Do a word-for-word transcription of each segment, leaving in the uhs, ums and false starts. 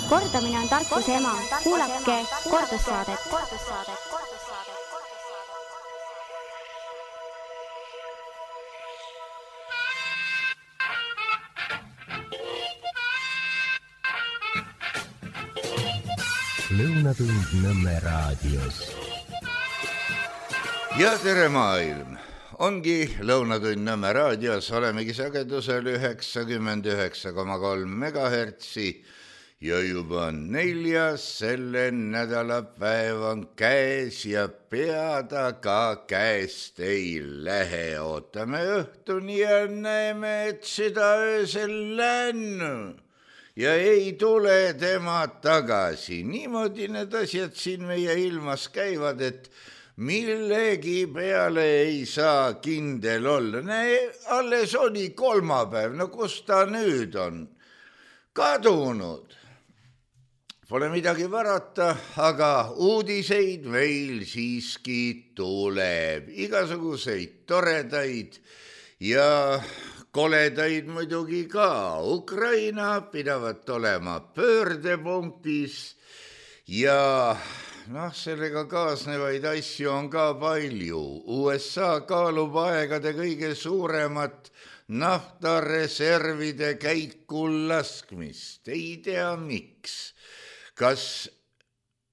Kordamine on tarkuse ema. Kuulake kordussaadet. Lõunatund Nõmme raadios. Ja tere maailm! Ongi Lõunatund Nõmme raadios, olemegi sagedusel üheksakümmend üheksa koma kolm megahertsi ja juba neljas selle nädala päev on käes ja peada ka käest ei lähe. Ootame õhtuni ja näeme, et seda öösel lännu. Ja ei tule tema tagasi. Niimoodi need asjad siin meie ilmas käivad, et millegi peale ei saa kindel olla. Näe, alles oli kolmapäev, no kus ta nüüd on? Kadunud. Pole midagi varata, aga uudiseid meil siiski tuleb. Igasuguseid toredaid ja koledaid muidugi ka. Ukraina pidavat olema pöördepunktis ja noh, sellega kaasnevaid asju on ka palju. U S A kaalub aegade kõige suuremat naftareservide käiku laskmist. Ei tea miks. Kas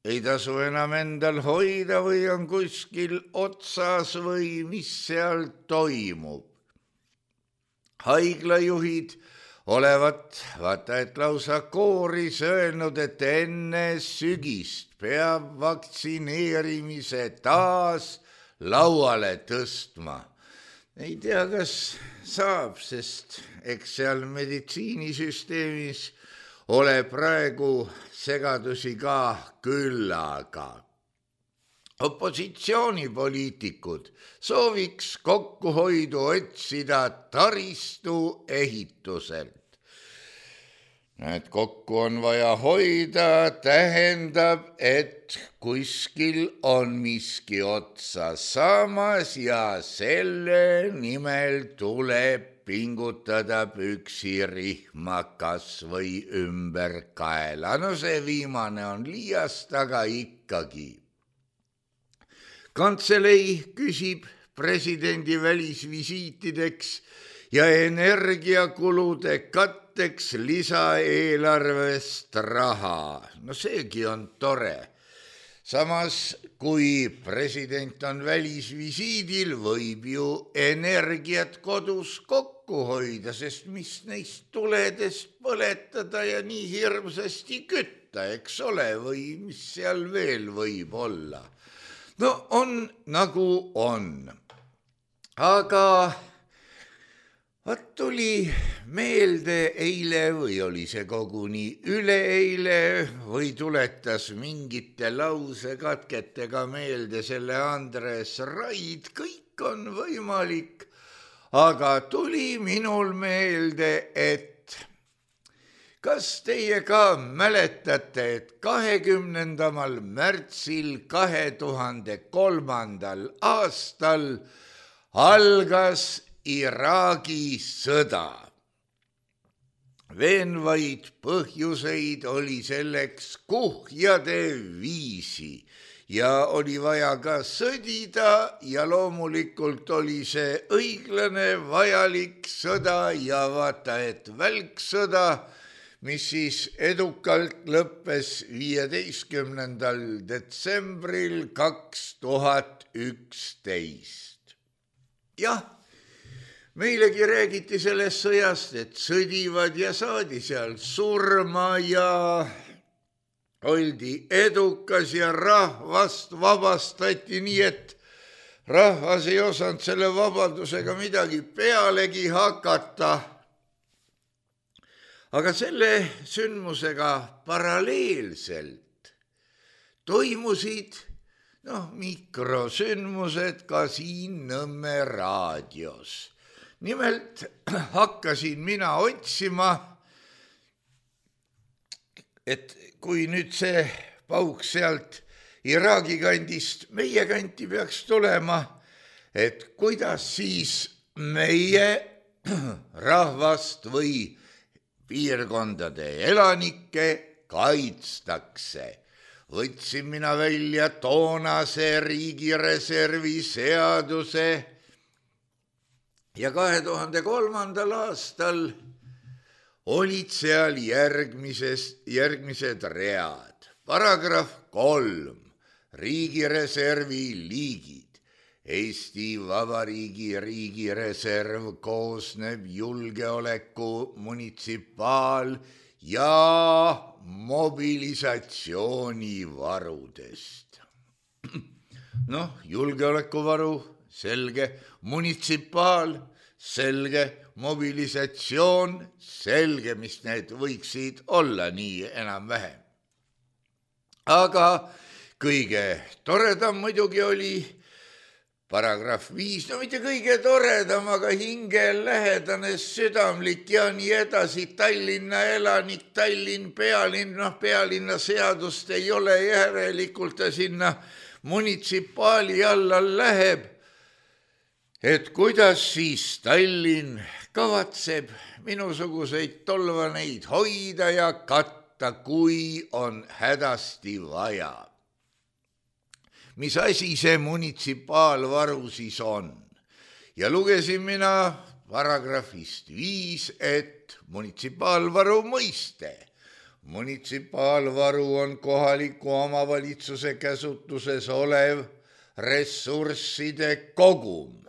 ei tasu enam endal hoida või on kuskil otsas või mis seal toimub? Haiglajuhid olevat, vaata et lausa kooris öelnud, et enne sügist peab vaktsineerimise taas lauale tõstma. Ei tea, kas saab, sest eks seal meditsiinisüsteemis ole praegu segadusi ka küllaga. Opositsioonipoliitikud sooviks kokkuhoidu otsida taristu ehituselt. Et kokku on vaja hoida, tähendab, et kuskil on miski otsa saamas ja selle nimel tuleb pingutada püksirihma kas või ümber kaela. No see viimane on liiast, aga ikkagi. Kantselei küsib presidendi välisvisiitideks ja energiakulude katteks lisaeelarvest raha. No seegi on tore. Samas, kui president on välisvisiidil, võib ju energiat kodus kokku hoida, sest mis neist tuledest põletada ja nii hirmsasti kütta, eks ole, või mis seal veel võib olla. No on nagu on, aga vaat tuli meelde eile või oli see koguni üleeile või tuletas mingite lausekatketega meelde selle Andres Raid, kõik on võimalik, aga tuli minul meelde, et kas teie ka mäletate, et kahekümnendal märtsil kahe tuhande kolmandal aastal algas Iraagi sõda. Veenvaid põhjuseid oli selleks kuhjade viisi ja oli vaja ka sõdida ja loomulikult oli see õiglane, vajalik sõda ja vaata, et välksõda, mis siis edukalt lõppes viieteistkümnendal detsembril kaks tuhat üksteist. Jah, meilegi räägiti sellest sõjast, et sõdivad ja saadi seal surma ja oldi edukas ja rahvast vabastati nii, et rahvas ei osanud selle vabadusega midagi pealegi hakata. Aga selle sündmusega paralleelselt toimusid noh, mikrosündmused ka siin Nõmme raadios. Nimelt hakkasin mina otsima, et kui nüüd see pauk sealt Iraagi kandist meie kanti peaks tulema, et kuidas siis meie rahvast või piirkondade elanikke kaitstakse. Võtsin mina välja toonase riigireservi seaduse ja kahe tuhande kolmandal aastal olid seal järgmises, järgmised read. Paragrahv kolm, riigireservi liigid. Eesti Vabariigi riigireserv koosneb julgeoleku, munitsipaal- ja mobilisatsioonivarudest. Noh, julgeolekuvaru, selge, munitsipaal, selge, mobilisatsioon, selge, mis need võiksid olla nii enam-vähem. Aga kõige toredam muidugi oli paragrahv viis, no mitte kõige toredam, aga hingelähedane, südamlik ja nii edasi. Tallinna elanik, Tallinn, pealinn, noh pealinna seadust ei ole, järelikult ta sinna munitsipaali alla läheb. Et kuidas siis Tallinn kavatseb minusuguseid tolvaneid hoida ja katta, kui on hädasti vaja. Mis asi see munitsipaalvaru siis on? Ja lugesin mina paragrahvist viis, et munitsipaalvaru mõiste. Munitsipaalvaru on kohaliku omavalitsuse käsutuses olev ressursside kogum,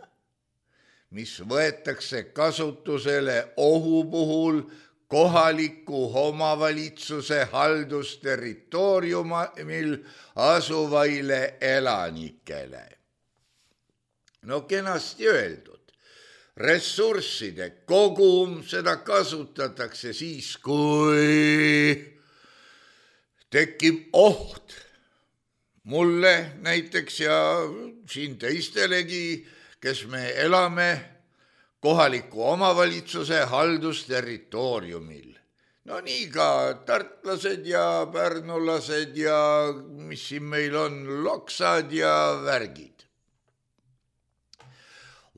mis võetakse kasutusele ohu puhul kohaliku omavalitsuse haldusterritooriumil asuvaile elanikele. No kenasti öeldud, ressursside kogum, seda kasutatakse siis, kui tekib oht mulle näiteks ja siin teistelegi, kes me elame kohaliku omavalitsuse haldusterritooriumil. No nii ka tartlased ja pärnulased ja mis siin meil on, loksad ja värgid.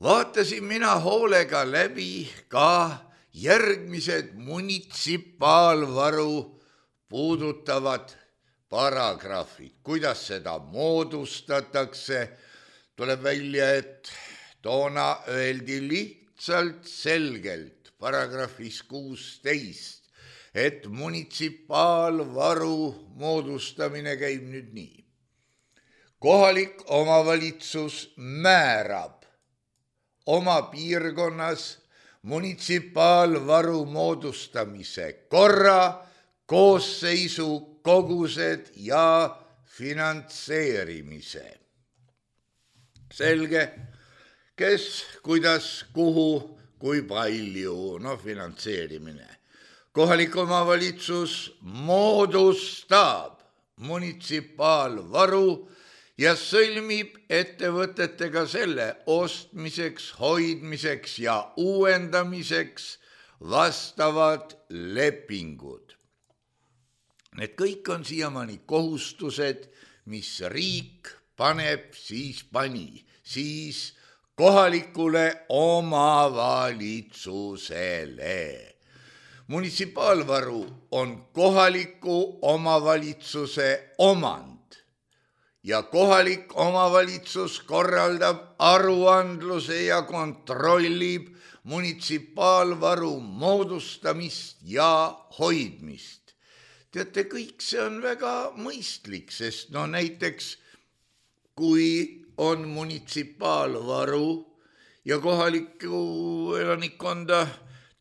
Vaatasin mina hoolega läbi ka järgmised munitsipaalvaru puudutavad paragrahvid. Kuidas seda moodustatakse, tuleb välja, et toona öeldi lihtsalt selgelt paragrahvis kuusteist, et munitsipaalvaru moodustamine käib nüüd nii. Kohalik omavalitsus määrab oma piirkonnas munitsipaalvaru moodustamise korra, koosseisu, kogused ja finantseerimise. Selge, kes, kuidas, kuhu, kui palju, no finantseerimine. Kohalik omavalitsus moodustab munitsipaalvaru ja sõlmib ettevõtetega selle ostmiseks, hoidmiseks ja uuendamiseks vastavad lepingud. Need kõik on siiamaani kohustused, mis riik paneb, siis pani, siis kohalikule omavalitsusele. Munitsipaalvaru on kohaliku omavalitsuse omand ja kohalik omavalitsus korraldab aruandluse ja kontrollib munitsipaalvaru moodustamist ja hoidmist. Teate, kõik see on väga mõistlik, sest no näiteks kui on munitsipaalvaru ja kohalikku elanikkonda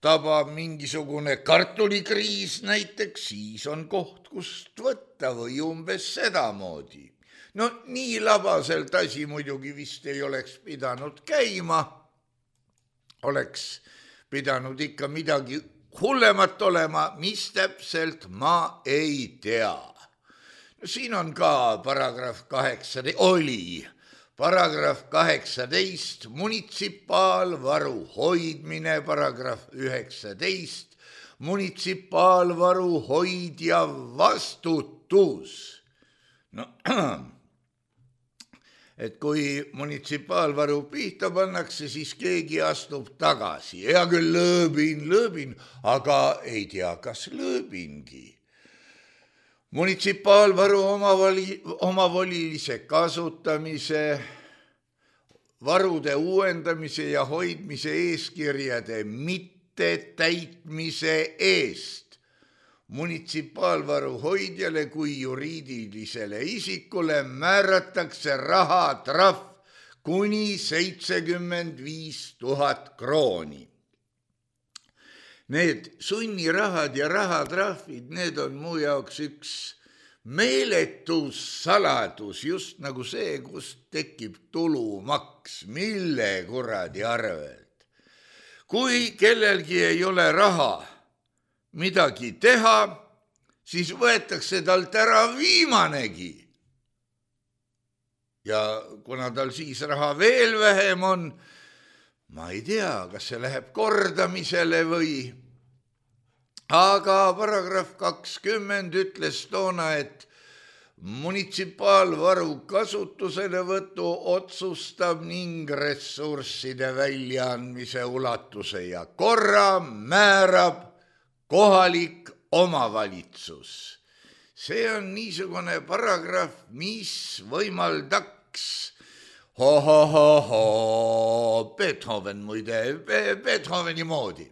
tabab mingisugune kartulikriis näiteks, siis on koht, kust võtta või umbes sedamoodi. No nii labaselt asi muidugi vist ei oleks pidanud käima, oleks pidanud ikka midagi hullemat olema, mis täpselt ma ei tea. No siin on ka paragrahv kaheksateist, oli paragrahv kaheksateist, munitsipaalvaru hoidmine, paragrahv üheksateist, munitsipaalvaru hoidja vastutus. No, et kui munitsipaalvaru pihta pannakse, siis keegi astub tagasi. Hea küll, lõõbin, lõõbin, aga ei tea, kas lõõbingi. munitsipaalvaru omavali, omavolilise kasutamise, varude uuendamise ja hoidmise eeskirjade mitte täitmise eest munitsipaalvaru hoidjale kui juriidilisele isikule määratakse rahatrahv kuni seitsekümmend viis tuhat krooni. Need sunnirahad ja rahatrahvid, need on mu jaoks üks meeletus saladus, just nagu see, kust tekib tulumaks, mille kuradi arvelt. Kui kellelgi ei ole raha midagi teha, siis võetakse talt ära viimanegi. Ja kuna tal siis raha veel vähem on, ma ei tea, kas see läheb kordamisele või, aga paragrahv kakskümmend ütles toona, et munitsipaalvaru kasutuselevõtu otsustab ning ressursside väljaandmise ulatuse ja korra määrab kohalik omavalitsus. See on niisugune paragrahv, mis võimaldaks ho-ho-ho-ho, Beethoven muide, Beethoveni moodi.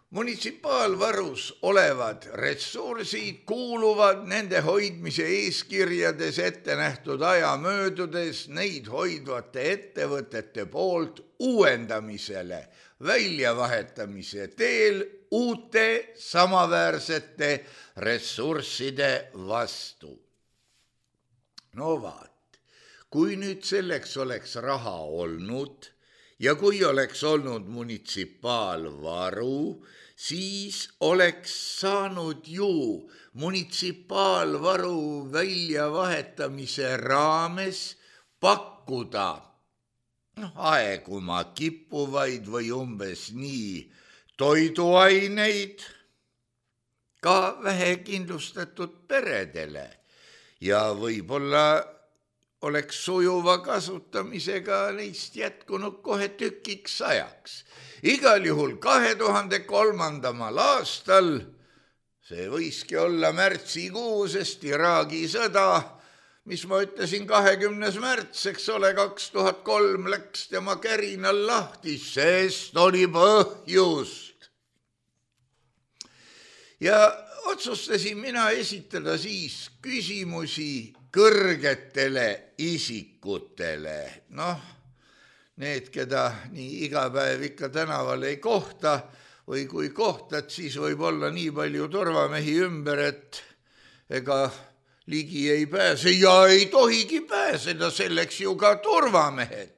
Munitsipaalvarus olevad ressursid kuuluvad nende hoidmise eeskirjades ette nähtud aja möödudes neid hoidvate ettevõtete poolt uuendamisele, väljavahetamise teel uute samaväärsete ressursside vastu. No vaat, kui nüüd selleks oleks raha olnud ja kui oleks olnud munitsipaalvaru, siis oleks saanud ju munitsipaalvaru väljavahetamise raames pakkuda no, aeguma kippuvaid või umbes nii toiduaineid ka vähekindlustatud peredele ja võib-olla oleks sujuva kasutamisega neist jätkunud kohe tükiks ajaks. Igal juhul kahe tuhande kolmandamal aastal, see võiski olla märtsikuu, sest Iraagi sõda, mis ma ütlesin kahekümnes märts, eks ole, kaks tuhat kolm läks tema kärinal lahti, sest oli põhjust. Ja otsustasin mina esitada siis küsimusi kõrgetele isikutele, noh, need, keda nii iga päev ikka tänaval ei kohta või kui kohtad, siis võib olla nii palju turvamehi ümber, et ega ligi ei pääse ja ei tohigi pääseda, selleks ju ka turvamehed.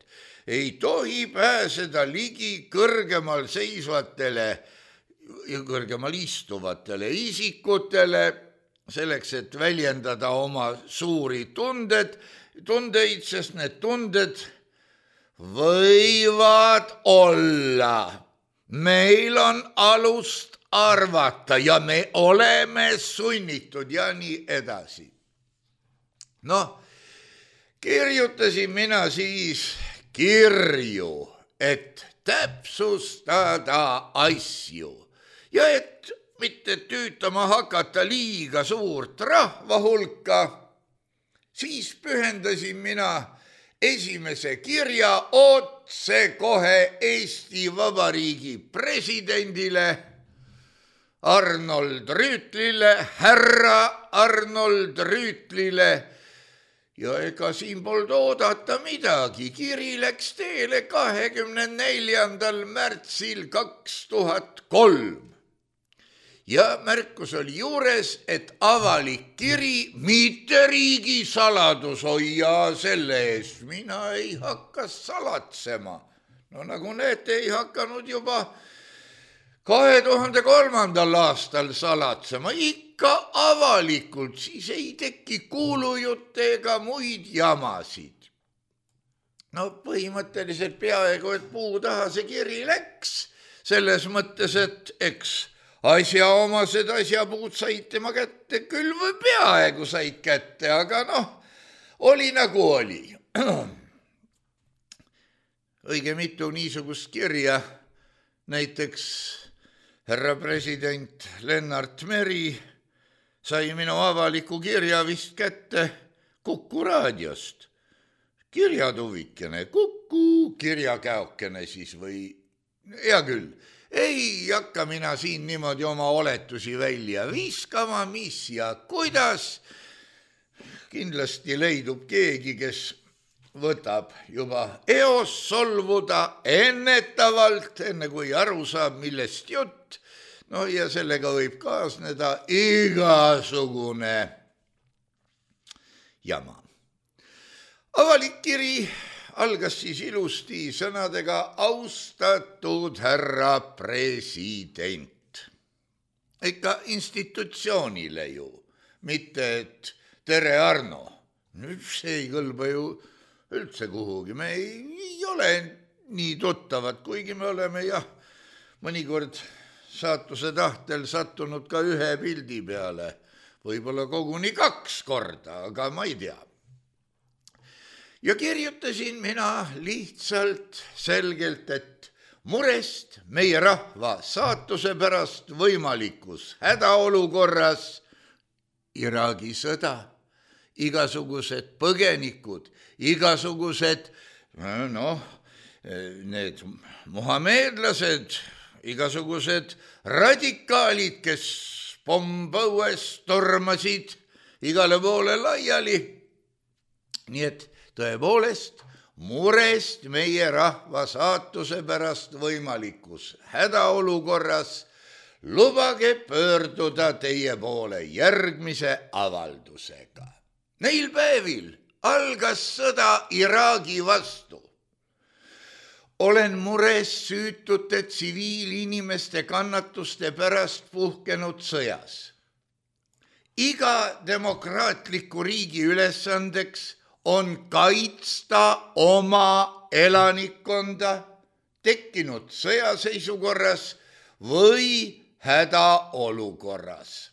Ei tohi pääseda ligi kõrgemal seisvatele ja kõrgemal istuvatele isikutele, selleks, et väljendada oma suuri tunded, tundeid, sest need tunded võivad olla. Meil on alust arvata ja me oleme sunnitud ja nii edasi. Noh, kirjutasin mina siis kirju, et täpsustada asju ja et mitte tüütama hakata liiga suurt rahva hulka, siis pühendasin mina esimese kirja otse kohe Eesti Vabariigi presidendile Arnold Rüütlile, härra Arnold Rüütlile ja ega siin polnud oodata midagi. Kiri läks teele kahekümne neljandal märtsil kaks tuhat kolm. Ja märkus oli juures, et avalik kiri, mitte riigi saladus, hoia selle eest. Mina ei hakka salatsema. No nagu näete, ei hakanud juba kahe tuhande kolmandal aastal salatsema. Ikka avalikult, siis ei teki kuulujutte ega muid jamasid. No põhimõtteliselt peaaegu, et puu taha see kiri läks. Selles mõttes, et eks asjaomased asjapuud said tema kätte, küll või peaaegu said kätte, aga noh, oli nagu oli. Õige mitu niisugust kirja, näiteks härra president Lennart Meri sai minu avaliku kirja vist kätte Kuku raadiost. Kirjatuvikene, Kuku kirjakäokene siis või, hea küll, ei hakka mina siin niimoodi oma oletusi välja viskama, mis ja kuidas. Kindlasti leidub keegi, kes võtab juba eos solvuda ennetavalt, enne kui aru saab, millest jutt. No ja sellega võib kaasneda igasugune jama. Avalik kiri algas siis ilusti sõnadega austatud härra president. Ikka institutsioonile ju, mitte et tere Arno. Nüüd see ei kõlba ju üldse kuhugi. Me ei, ei ole nii tuttavad, kuigi me oleme jah mõnikord saatuse tahtel sattunud ka ühe pildi peale. Võib-olla koguni kaks korda, aga ma ei tea. Ja kirjutasin mina lihtsalt selgelt, et murest meie rahva saatuse pärast võimalikus hädaolukorras Iraagi sõda, igasugused põgenikud, igasugused, noh, need muhameedlased, igasugused radikaalid, kes pompõues tormasid igale poole laiali. Nii et tõepoolest murest meie rahva saatuse pärast võimalikus hädaolukorras lubage pöörduda teie poole järgmise avaldusega. Neil päevil algas sõda Iraagi vastu. Olen mures süütute tsiviilinimeste kannatuste pärast puhkenud sõjas. Iga demokraatliku riigi ülesandeks on kaitsta oma elanikkonda tekkinud sõjaseisukorras või hädaolukorras.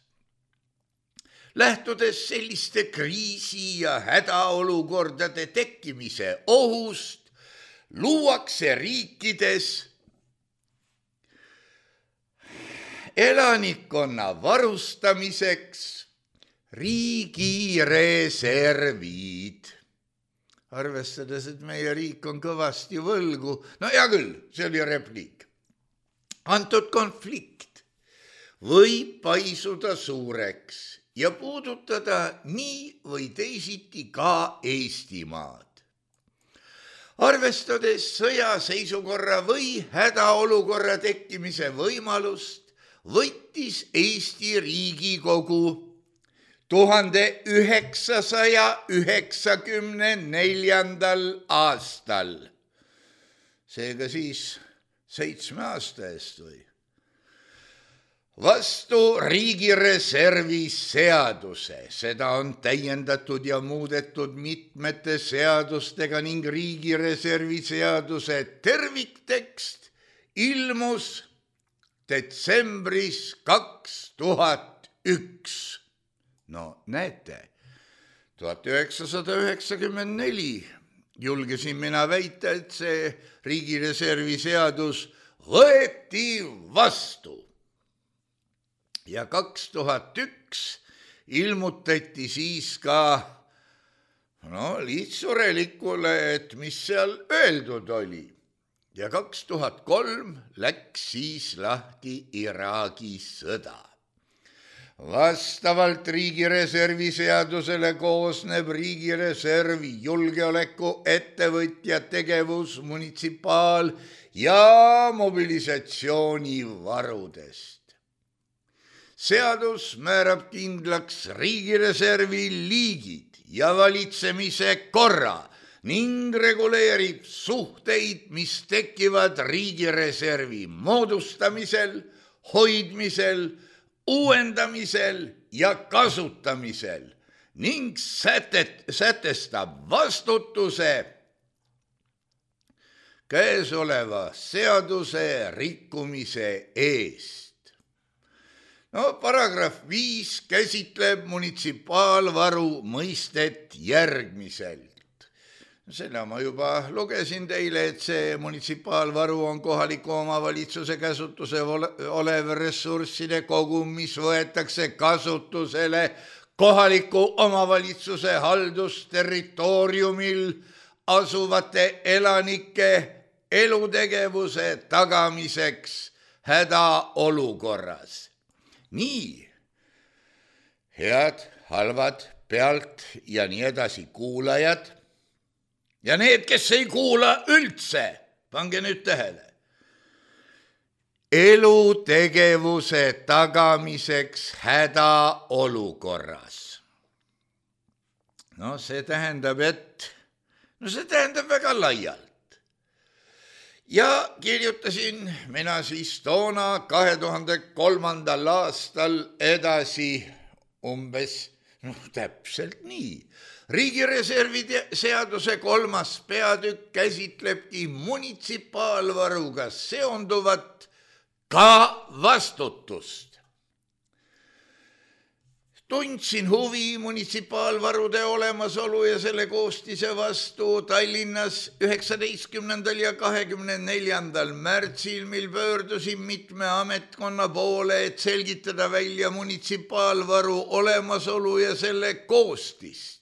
Lähtudes selliste kriisi- ja hädaolukordade tekkimise ohust, luuakse riikides elanikkonna varustamiseks riigireservid. Arvestades, et meie riik on kõvasti võlgu, no hea küll, see oli repliik. Antud konflikt võib paisuda suureks ja puudutada nii või teisiti ka Eestimaad. Arvestades sõjaseisukorra või hädaolukorra tekkimise võimalust, võttis Eesti Riigikogu tuhande üheksasaja üheksakümne neljandal aastal, seega siis seitsme aasta eest või, vastu riigireservi seaduse. Seda on täiendatud ja muudetud mitmete seadustega ning riigireservi seaduse terviktekst ilmus detsembris kaks tuhat üks. No näete, tuhat üheksasada üheksakümmend neli julgesin mina väita, et see riigireservi seadus võeti vastu. Ja kaks tuhat üks ilmutati siis ka no, lihtsurelikule, et mis seal öeldud oli. Ja kaks tuhat kolm läks siis lahti Iraagi sõda. Vastavalt riigireservi seadusele koosneb riigireservi julgeoleku ettevõtja tegevus munitsipaal- ja mobilisatsioonivarudest. Seadus määrab kindlaks riigireservi liigid ja valitsemise korra ning reguleerib suhteid, mis tekivad riigireservi moodustamisel, hoidmisel, uuendamisel ja kasutamisel ning sätet, sätestab vastutuse käesoleva seaduse rikkumise eest. No, paragrahv viis käsitleb munitsipaalvaru mõistet järgmiselt. Selle ma juba lugesin teile, et see munitsipaalvaru on kohaliku omavalitsuse käsutuse olev ressursside kogum, mis võetakse kasutusele kohaliku omavalitsuse haldusterritooriumil asuvate elanike elutegevuse tagamiseks hädaolukorras. Nii, head, halvad, pealt ja nii edasi kuulajad ja need, kes ei kuula üldse, pange nüüd tähele. Elutegevuse tagamiseks hädaolukorras. No see tähendab, et, no see tähendab väga laialt. Ja kirjutasin mina siis toona kahe tuhande kolmandal aastal edasi umbes, no täpselt nii. Riigireservi seaduse kolmas peatükk käsitlebki munitsipaalvaruga seonduvat ka vastutust. Tundsin huvi munitsipaalvarude olemasolu ja selle koostise vastu Tallinnas üheksateistkümnendal ja kahekümne neljandal märtsil, mil pöördusin mitme ametkonna poole, et selgitada välja munitsipaalvaru olemasolu ja selle koostist.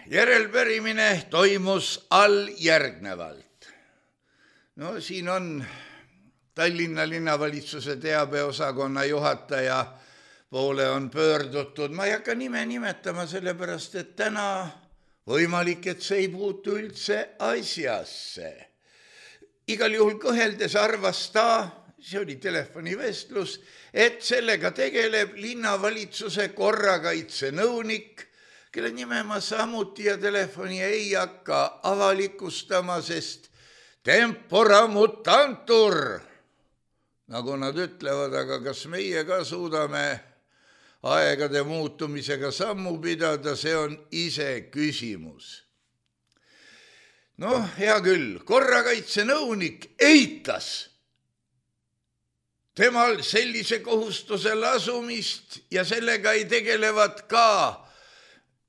Järelpärimine toimus all järgnevalt. No siin on Tallinna linnavalitsuse teabeosakonna juhataja poole on pöördutud. Ma ei hakka nime nimetama sellepärast, et täna võimalik, et see ei puutu üldse asjasse. Igal juhul kõheldes arvas ta, see oli telefonivestlus, et sellega tegeleb linnavalitsuse korrakaitsenõunik, kelle nime ma samuti ja telefoni ei hakka avalikustama, sest tempora mutantur, nagu nad ütlevad, aga kas meie ka suudame aegade muutumisega sammu pidada, see on ise küsimus. Noh, hea küll, korrakaitsenõunik eitas temal sellise kohustuse lasumist ja sellega ei tegelevad ka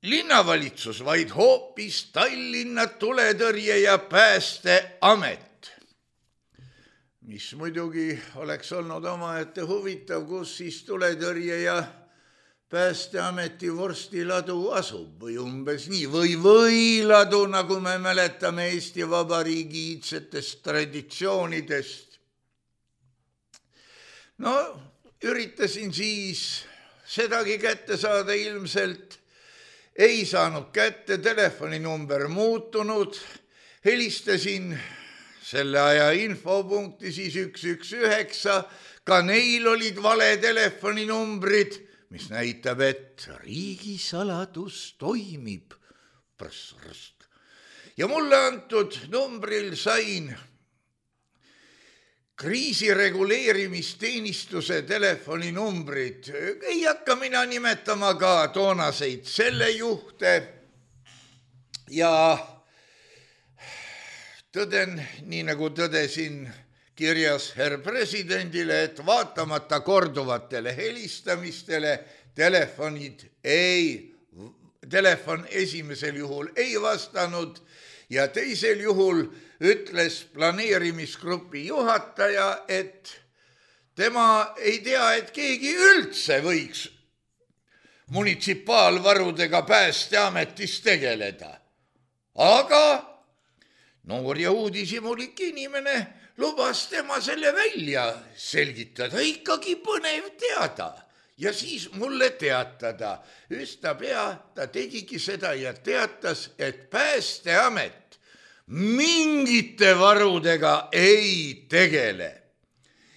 linnavalitsus, vaid hoopis Tallinna tuletõrje ja päästeamet. Mis muidugi oleks olnud omaette huvitav, kus siis tuletõrje ja päästeameti vorstiladu asub või umbes nii, või võiladu, nagu me mäletame Eesti Vabariigi iidsetest traditsioonidest. No, üritasin siis sedagi kätte saada ilmselt, ei saanud kätte, telefoninumber muutunud, helistasin selle aja infopunkti siis üks üks üheksa, ka neil olid vale telefoninumbrid, mis näitab, et riigisaladus toimib. Ja mulle antud numbril sain kriisireguleerimisteenistuse telefoninumbrid. Ei hakka mina nimetama ka toonaseid selle juhte ja tõden, nii nagu tõdesin kirjas herr presidendile, et vaatamata korduvatele helistamistele telefonid ei, telefon esimesel juhul ei vastanud ja teisel juhul ütles planeerimisgrupi juhataja, et tema ei tea, et keegi üldse võiks munitsipaalvarudega päästeametis tegeleda. Aga noor ja uudishimulik inimene lubas tema selle välja selgitada, ikkagi põnev teada ja siis mulle teatada. Üsna pea ta tegigi seda ja teatas, et päästeamet mingite varudega ei tegele.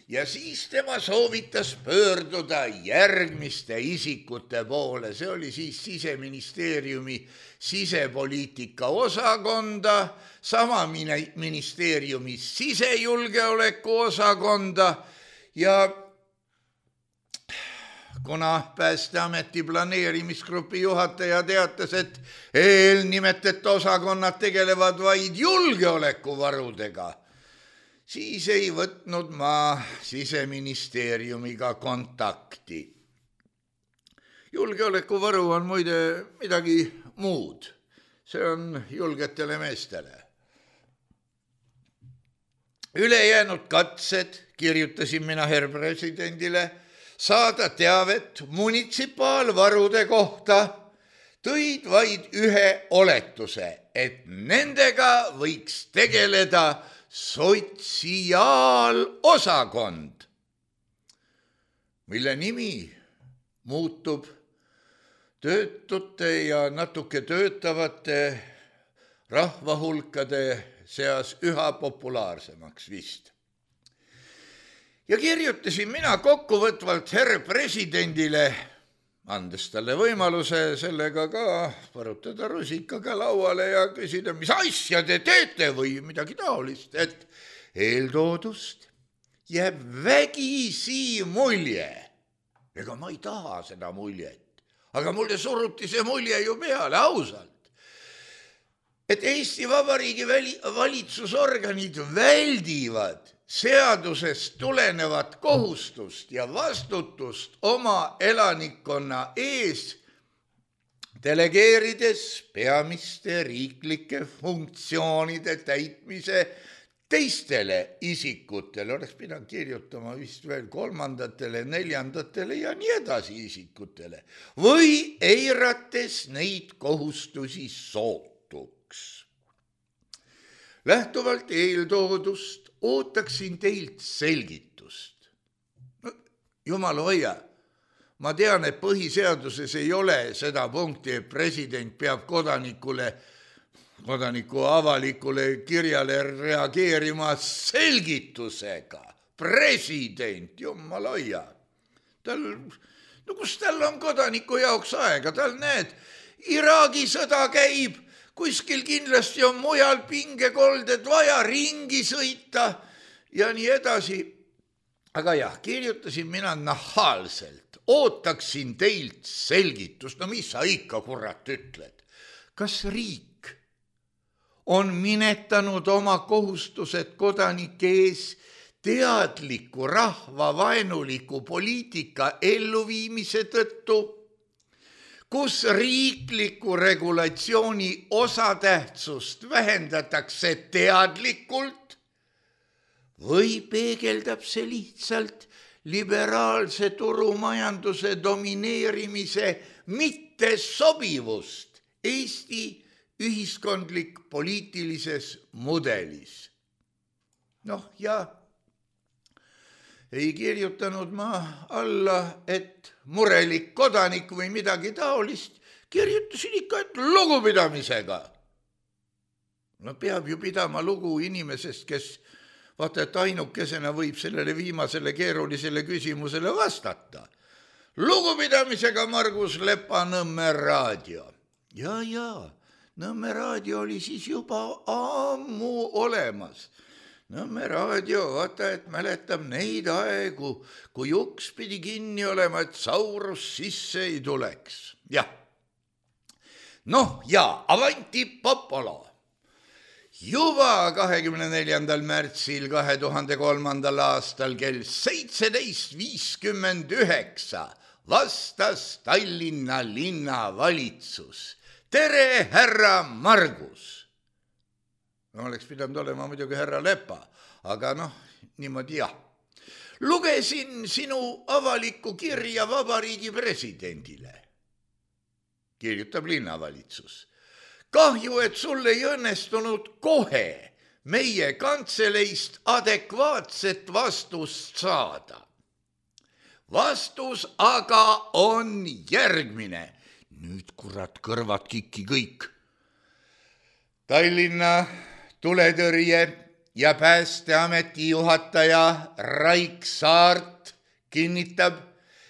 Ja siis tema soovitas pöörduda järgmiste isikute poole. See oli siis Siseministeeriumi sisepoliitika osakonda, sama ministeeriumi sisejulgeoleku osakonda ja kuna päästeameti planeerimisgrupi juhataja teatas, et eelnimetet osakonnad tegelevad vaid julgeolekuvarudega, siis ei võtnud ma Siseministeeriumiga kontakti. julgeolekuvaru on muide midagi muud. See on julgetele meestele. Ülejäänud katsed, kirjutasin mina herr presidendile, saada teavet munitsipaalvarude kohta, tõid vaid ühe oletuse, et nendega võiks tegeleda sotsiaalosakond, mille nimi muutub töötute ja natuke töötavate rahvahulkade seas üha populaarsemaks vist. Ja kirjutasin mina kokkuvõtvalt herr presidendile, andes talle võimaluse sellega ka varutada rusikaga lauale ja küsida, mis asja te teete või midagi taolist, et eeltoodust jääb vägisi mulje. Ega ma ei taha seda muljet, aga mulle suruti see mulje ju peale ausalt, et Eesti Vabariigi valitsusorganid väldivad seadusest tulenevat kohustust ja vastutust oma elanikkonna ees, delegeerides peamiste riiklike funktsioonide täitmise teistele isikutele, oleks pidanud kirjutama vist veel kolmandatele, neljandatele ja nii edasi isikutele, või eirates neid kohustusi sootuks. Lähtuvalt eeltoodust ootaksin teilt selgitust. No, jumal hoia, ma tean, et põhiseaduses ei ole seda punkti, et president peab kodanikule, kodaniku avalikule kirjale reageerima selgitusega. President, jumal hoia. Tal, no kus tal on kodaniku jaoks aega? Tal näed, Iraagi sõda käib, kuskil kindlasti on mujal pingekolded vaja ringi sõita ja nii edasi. Aga jah, kirjutasin mina nahaalselt, ootaksin teilt selgitust. No mis sa ikka kurat ütled? Kas riik on minetanud oma kohustused kodanike ees teadliku rahvavaenuliku poliitika elluviimise tõttu, kus riikliku regulatsiooni osatähtsust vähendatakse teadlikult või peegeldab see lihtsalt liberaalse turumajanduse domineerimise mittesobivust Eesti ühiskondlik poliitilises mudelis. Noh, ja ei kirjutanud ma alla, et murelik kodanik või midagi taolist, kirjutasin ikka, et lugupidamisega. No peab ju pidama lugu inimesest, kes vaata, et ainukesena võib sellele viimasele keerulisele küsimusele vastata. Lugupidamisega Margus Lepa, Nõmme raadio. Ja, ja, Nõmme raadio oli siis juba ammu olemas. Nõmme raadio, vaata, et mäletab neid aegu, kui uks pidi kinni olema, et saurus sisse ei tuleks. Jah. Noh, ja avanti popolo. Juba kahekümne neljandal märtsil kahe tuhande kolmandal aastal kell seitseteist viiskümmend üheksa vastas Tallinna linnavalitsus. Tere, härra Margus! No, oleks pidanud olema muidugi härra Lepa, aga noh, niimoodi jah. Lugesin sinu avalikku kirja Vabariigi presidendile. Kirjutab linnavalitsus. Kahju, et sul ei õnnestunud kohe meie kantseleist adekvaatset vastust saada. Vastus aga on järgmine. Nüüd kurat kõrvad kikki kõik. Tallinna tuletõrje ja Päästeameti juhataja Raik Saart kinnitab,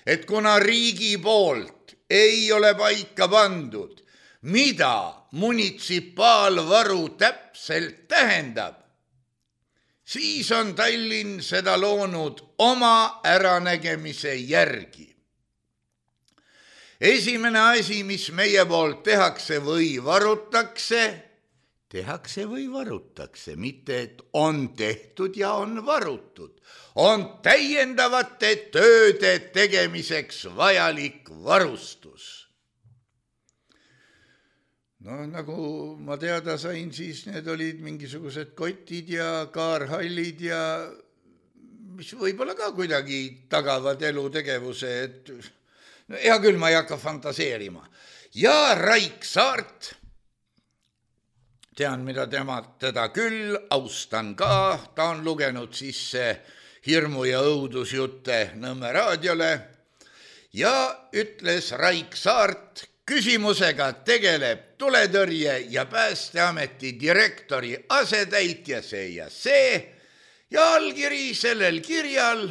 et kuna riigi poolt ei ole paika pandud, mida munitsipaalvaru täpselt tähendab, siis on Tallinn seda loonud oma äranägemise järgi. Esimene asi, mis meie poolt tehakse või varutakse, tehakse või varutakse, mitte et on tehtud ja on varutud. On täiendavate tööde tegemiseks vajalik varustus. No nagu ma teada sain, siis need olid mingisugused kotid ja kaarhallid ja mis võib-olla ka kuidagi tagavad elutegevuse, et no hea küll, ma ei hakka fantaseerima. Ja Raik Saart, tean, mida tema, teda küll, austan ka, ta on lugenud sisse hirmu- ja õudusjutte Nõmme raadiole ja ütles Raik Saart, küsimusega tegeleb tuletõrje ja Päästeameti direktori asetäitja see ja see ja allkiri sellel kirjal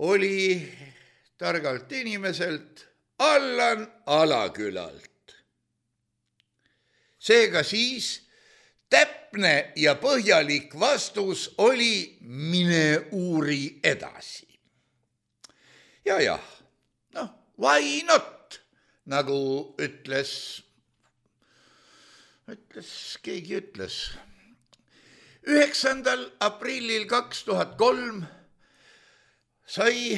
oli targalt inimeselt Allan Alakülalt. Seega siis täpne ja põhjalik vastus oli mine uuri edasi. Ja jah, noh, why not, nagu ütles, ütles, keegi ütles. üheksandal aprillil kaks tuhat kolm sai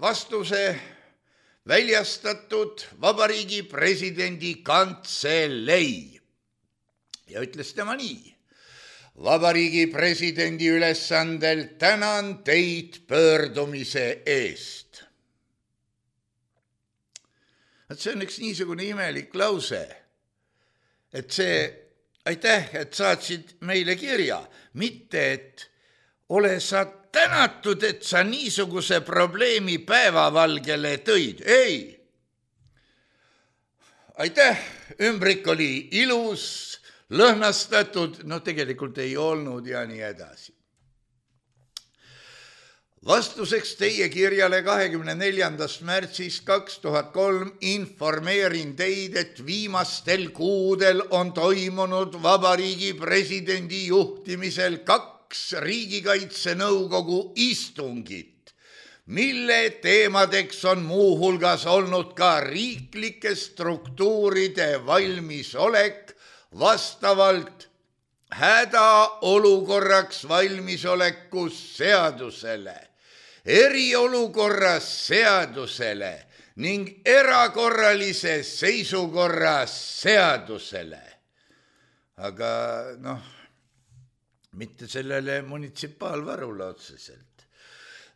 vastuse väljastatud Vabariigi Presidendi Kantselei ja ütles tema nii. Vabariigi Presidendi ülesandel tänan teid pöördumise eest. Et see on üks niisugune imelik lause, et see aitäh, et saatsid meile kirja, mitte et ole sa tänatud, et sa niisuguse probleemi päevavalgele tõid. Ei. Aitäh, ümbrik oli ilus, lõhnastatud, no tegelikult ei olnud ja nii edasi. Vastuseks teie kirjale kahekümne neljandast märtsist kaks tuhat kolm informeerin teid, et viimastel kuudel on toimunud Vabariigi Presidendi juhtimisel kaks Riigikaitsenõukogu istungit, mille teemadeks on muuhulgas olnud ka riiklike struktuuride valmisolek vastavalt hädaolukorraks valmisoleku seadusele, eriolukorra seadusele ning erakorralise seisukorra seadusele. Aga noh, mitte sellele munitsipaalvarule otseselt.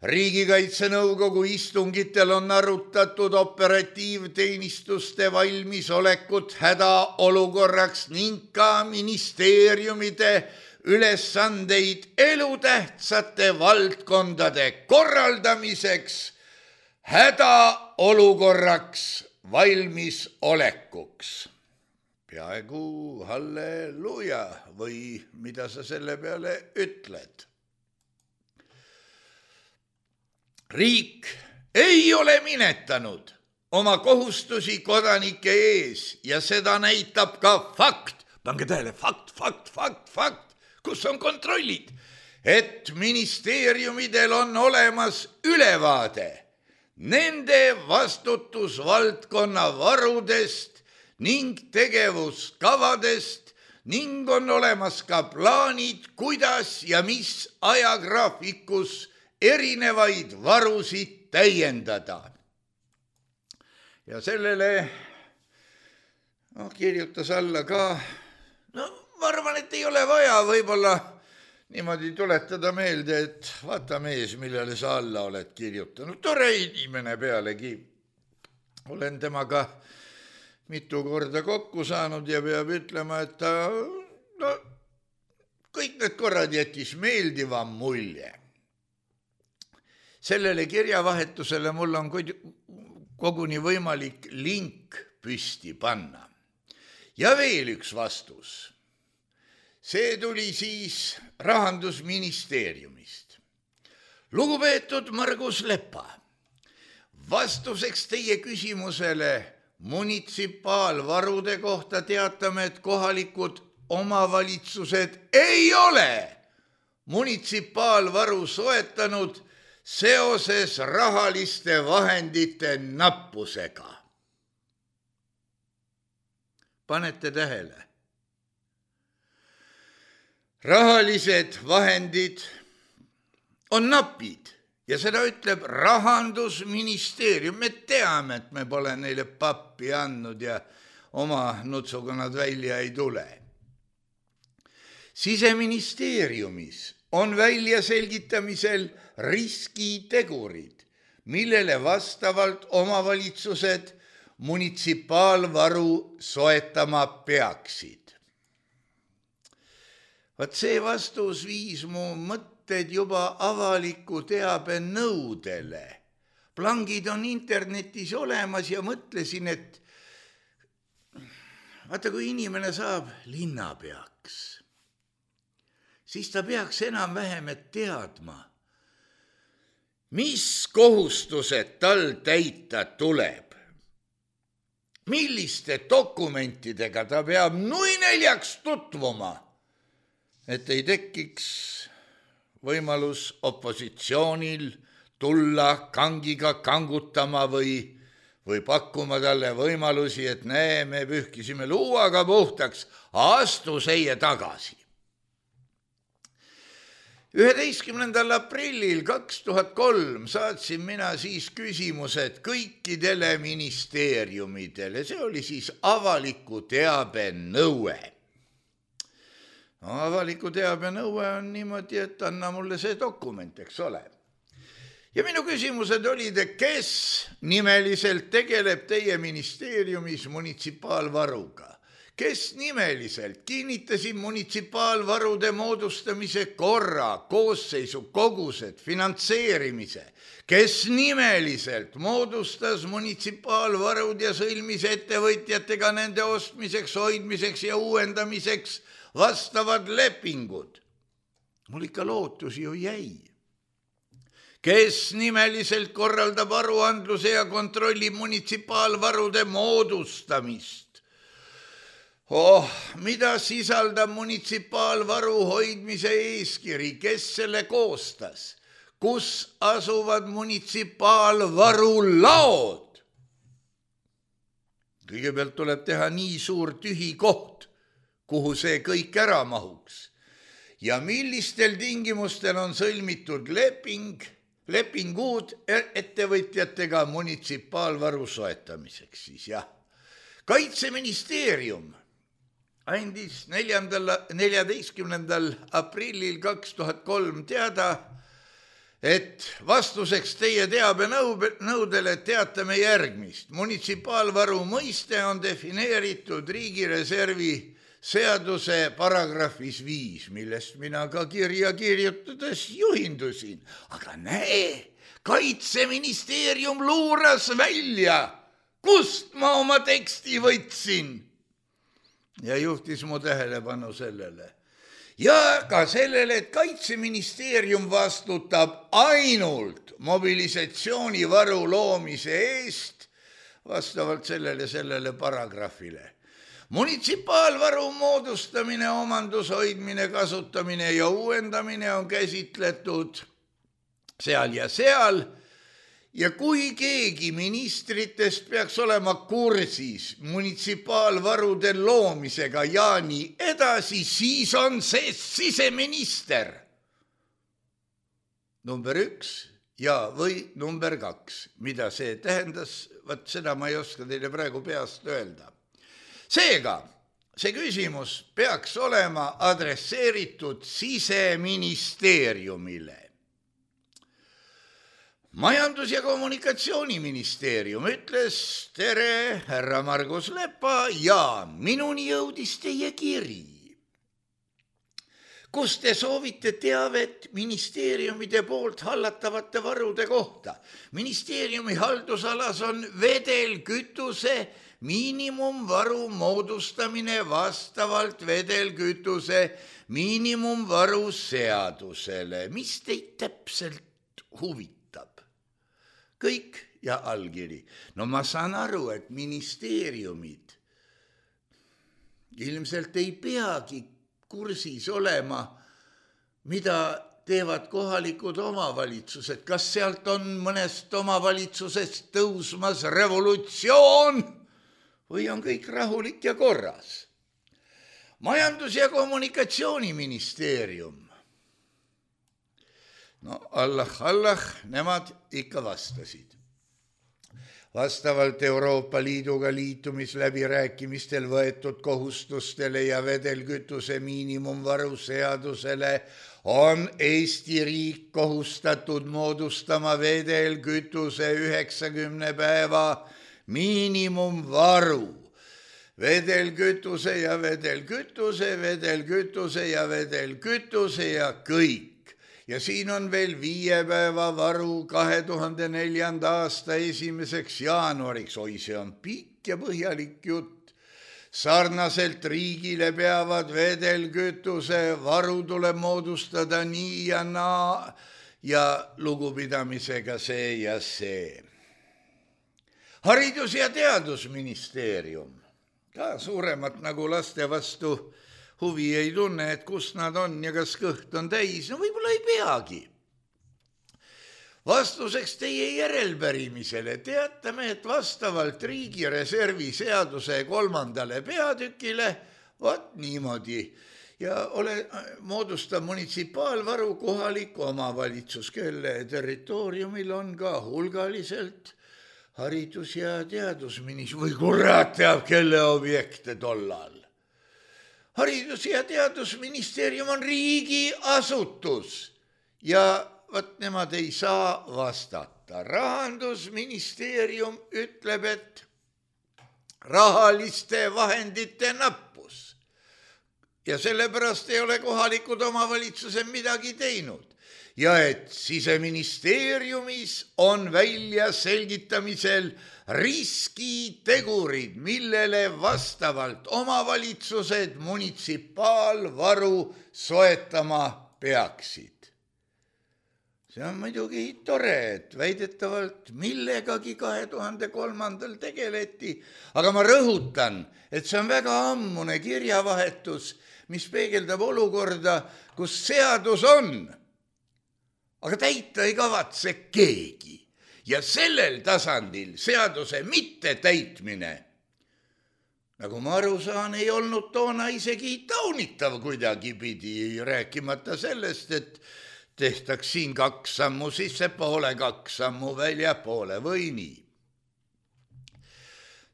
Riigikaitsenõukogu istungitel on arutatud operatiivteenistuste valmisolekut hädaolukorraks ning ka ministeeriumide ülesandeid elutähtsate valdkondade korraldamiseks hädaolukorraks valmisolekuks. Peaaegu halleluuja või mida sa selle peale ütled? Riik ei ole minetanud oma kohustusi kodanike ees ja seda näitab ka fakt. Pange tähele, fakt, fakt, fakt, fakt, kus on kontrollid, et ministeeriumidel on olemas ülevaade nende vastutusvaldkonna varudest ning tegevuskavadest ning on olemas ka plaanid, kuidas ja mis ajagraafikus erinevaid varusid täiendada. Ja sellele no, kirjutas alla ka, no ma arvan, et ei ole vaja võib-olla niimoodi tuletada meelde, et vaata mees, millele sa alla oled kirjutanud. Tore inimene pealegi. Olen temaga mitu korda kokku saanud ja peab ütlema, et ta no, kõik need korrad jättis meeldiva mulje. Sellele kirjavahetusele mul on koguni võimalik link püsti panna. Ja veel üks vastus. See tuli siis Rahandusministeeriumist. Lugupeetud Margus Lepa, vastuseks teie küsimusele munitsipaalvarude kohta teatame, et kohalikud omavalitsused ei ole munitsipaalvaru soetanud seoses rahaliste vahendite nappusega. panete tähele. Rahalised vahendid on napid ja seda ütleb Rahandusministeerium. Me teame, et me pole neile pappi andnud ja oma nutsuga nad välja ei tule. Siseministeeriumis on välja selgitamisel riskitegurid, millele vastavalt omavalitsused munitsipaalvaru soetama peaksid. Vaat see vastus viis mu mõtted juba avaliku teabe nõudele. Plangid on internetis olemas ja mõtlesin, et vaata, kui inimene saab linnapeaks, siis ta peaks enam-vähem teadma, mis kohustused tal täita tuleb. Milliste dokumentidega ta peab nui neljaks tutvuma, et ei tekiks võimalus opositsioonil tulla kangiga kangutama või, või pakkuma talle võimalusi, et näe, me pühkisime luuaga puhtaks, astu seie tagasi. üheteistkümnendal aprillil kaks tuhat kolm saatsin mina siis küsimused kõikidele ministeeriumidele. See oli siis avaliku teabe nõue. No, avaliku teabe nõue on niimoodi, et anna mulle see dokument, eks ole. Ja minu küsimused olid, kes nimeliselt tegeleb teie ministeeriumis munitsipaalvaruga? Kes nimeliselt kinnitasid munitsipaalvarude moodustamise korra, koosseisu, kogused, finantseerimise? Kes nimeliselt moodustas munitsipaalvarud ja sõlmis ettevõtjatega nende ostmiseks, hoidmiseks ja uuendamiseks vastavad lepingud? Mul ikka lootus ju jäi. Kes nimeliselt korraldab aruandluse ja kontrollib munitsipaalvarude moodustamist? Oh, mida sisaldab munitsipaalvaru hoidmise eeskiri? Kes selle koostas? Kus asuvad munitsipaalvaru laod? Kõigepealt tuleb teha nii suur tühi koht, kuhu see kõik ära mahuks. Ja millistel tingimustel on sõlmitud leping, lepingud ettevõtjatega munitsipaalvaru soetamiseks siis, jah. Kaitseministeerium andis neljateistkümnendal aprillil kaks tuhat kolm teada, et vastuseks teie teabe nõudele teatame järgmist. Munitsipaalvaru mõiste on defineeritud riigireservi seaduse paragrahvis viis, millest mina ka kirja kirjutades juhindusin. Aga näe, Kaitseministeerium luuras välja, kust ma oma teksti võtsin. Ja juhtis mu tähelepanu sellele. Ja ka sellele, et Kaitseministeerium vastutab ainult mobilisatsioonivaru loomise eest vastavalt sellele, sellele paragrahvile. Munitsipaalvaru moodustamine, omandushoidmine, kasutamine ja uuendamine on käsitletud seal ja seal. Ja kui keegi ministritest peaks olema kursis munitsipaalvarude loomisega ja nii edasi, siis on see siseminister. Number üks ja või number kaks. Mida see tähendas, vaat seda ma ei oska teile praegu peast öelda. Seega, see küsimus peaks olema adresseeritud Siseministeeriumile. Majandus- ja kommunikatsiooniministeerium ütles, tere, härra Margus Lepa, ja minuni jõudis teie kiri, kus te soovite teavet ministeeriumide poolt hallatavate varude kohta. Ministeeriumi haldusalas on vedelkütuse miinimumvaru moodustamine vastavalt vedelkütuse miinimumvaru seadusele. Mis teid täpselt huvitab? Kõik ja allkiri. No ma saan aru, et ministeeriumid ilmselt ei peagi kursis olema, mida teevad kohalikud omavalitsused. Kas sealt on mõnest omavalitsusest tõusmas revolutsioon või on kõik rahulik ja korras? Majandus- ja kommunikatsiooniministeerium. No Allah, Allah, nemad ikka vastasid. Vastavalt Euroopa Liiduga liitumisläbirääkimistel võetud kohustustele ja vedelkütuse miinimumvaru seadusele on Eesti riik kohustatud moodustama vedelkütuse üheksakümne päeva miinimumvaru. Vedelkütuse ja vedelkütuse, vedelkütuse ja vedelkütuse ja kõik. Ja siin on veel viie päeva varu kahe tuhande neljanda aasta esimeseks jaanuariks. Oi, see on pikk ja põhjalik jutt. Sarnaselt riigile peavad vedelkütuse varu tuleb moodustada nii ja naa ja lugupidamisega see ja see. Haridus- ja teadusministeerium. Ka suuremat nagu laste vastu huvi ei tunne, et kus nad on ja kas kõht on täis. No võib-olla ei peagi. Vastuseks teie järelpärimisele teatame, et vastavalt riigireservi seaduse kolmandale peatükile, vaat niimoodi, ja ole, moodustab munitsipaalvaru kohalik omavalitsus, kelle territooriumil on ka hulgaliselt haridus- ja teadusminis- või kurat teab, kelle objekte tollal. Haridus- ja teadusministeerium on riigiasutus ja võt nemad ei saa vastata. Rahandusministeerium ütleb, et rahaliste vahendite nappus ja sellepärast ei ole kohalikud omavalitsused midagi teinud. Ja et Siseministeeriumis on välja selgitamisel riskitegurid, millele vastavalt omavalitsused munitsipaalvaru soetama peaksid. See on muidugi tore, et väidetavalt millegagi kahe tuhande kolmandal tegeleti, aga ma rõhutan, et see on väga ammune kirjavahetus, mis peegeldab olukorda, kus seadus on, aga täita ei kavatse keegi. Ja sellel tasandil seaduse mitte täitmine, nagu ma aru saan, ei olnud toona isegi taunitav kuidagi pidi, rääkimata sellest, et tehtaks siin kaks sammu sissepoole, kaks sammu väljapoole või nii.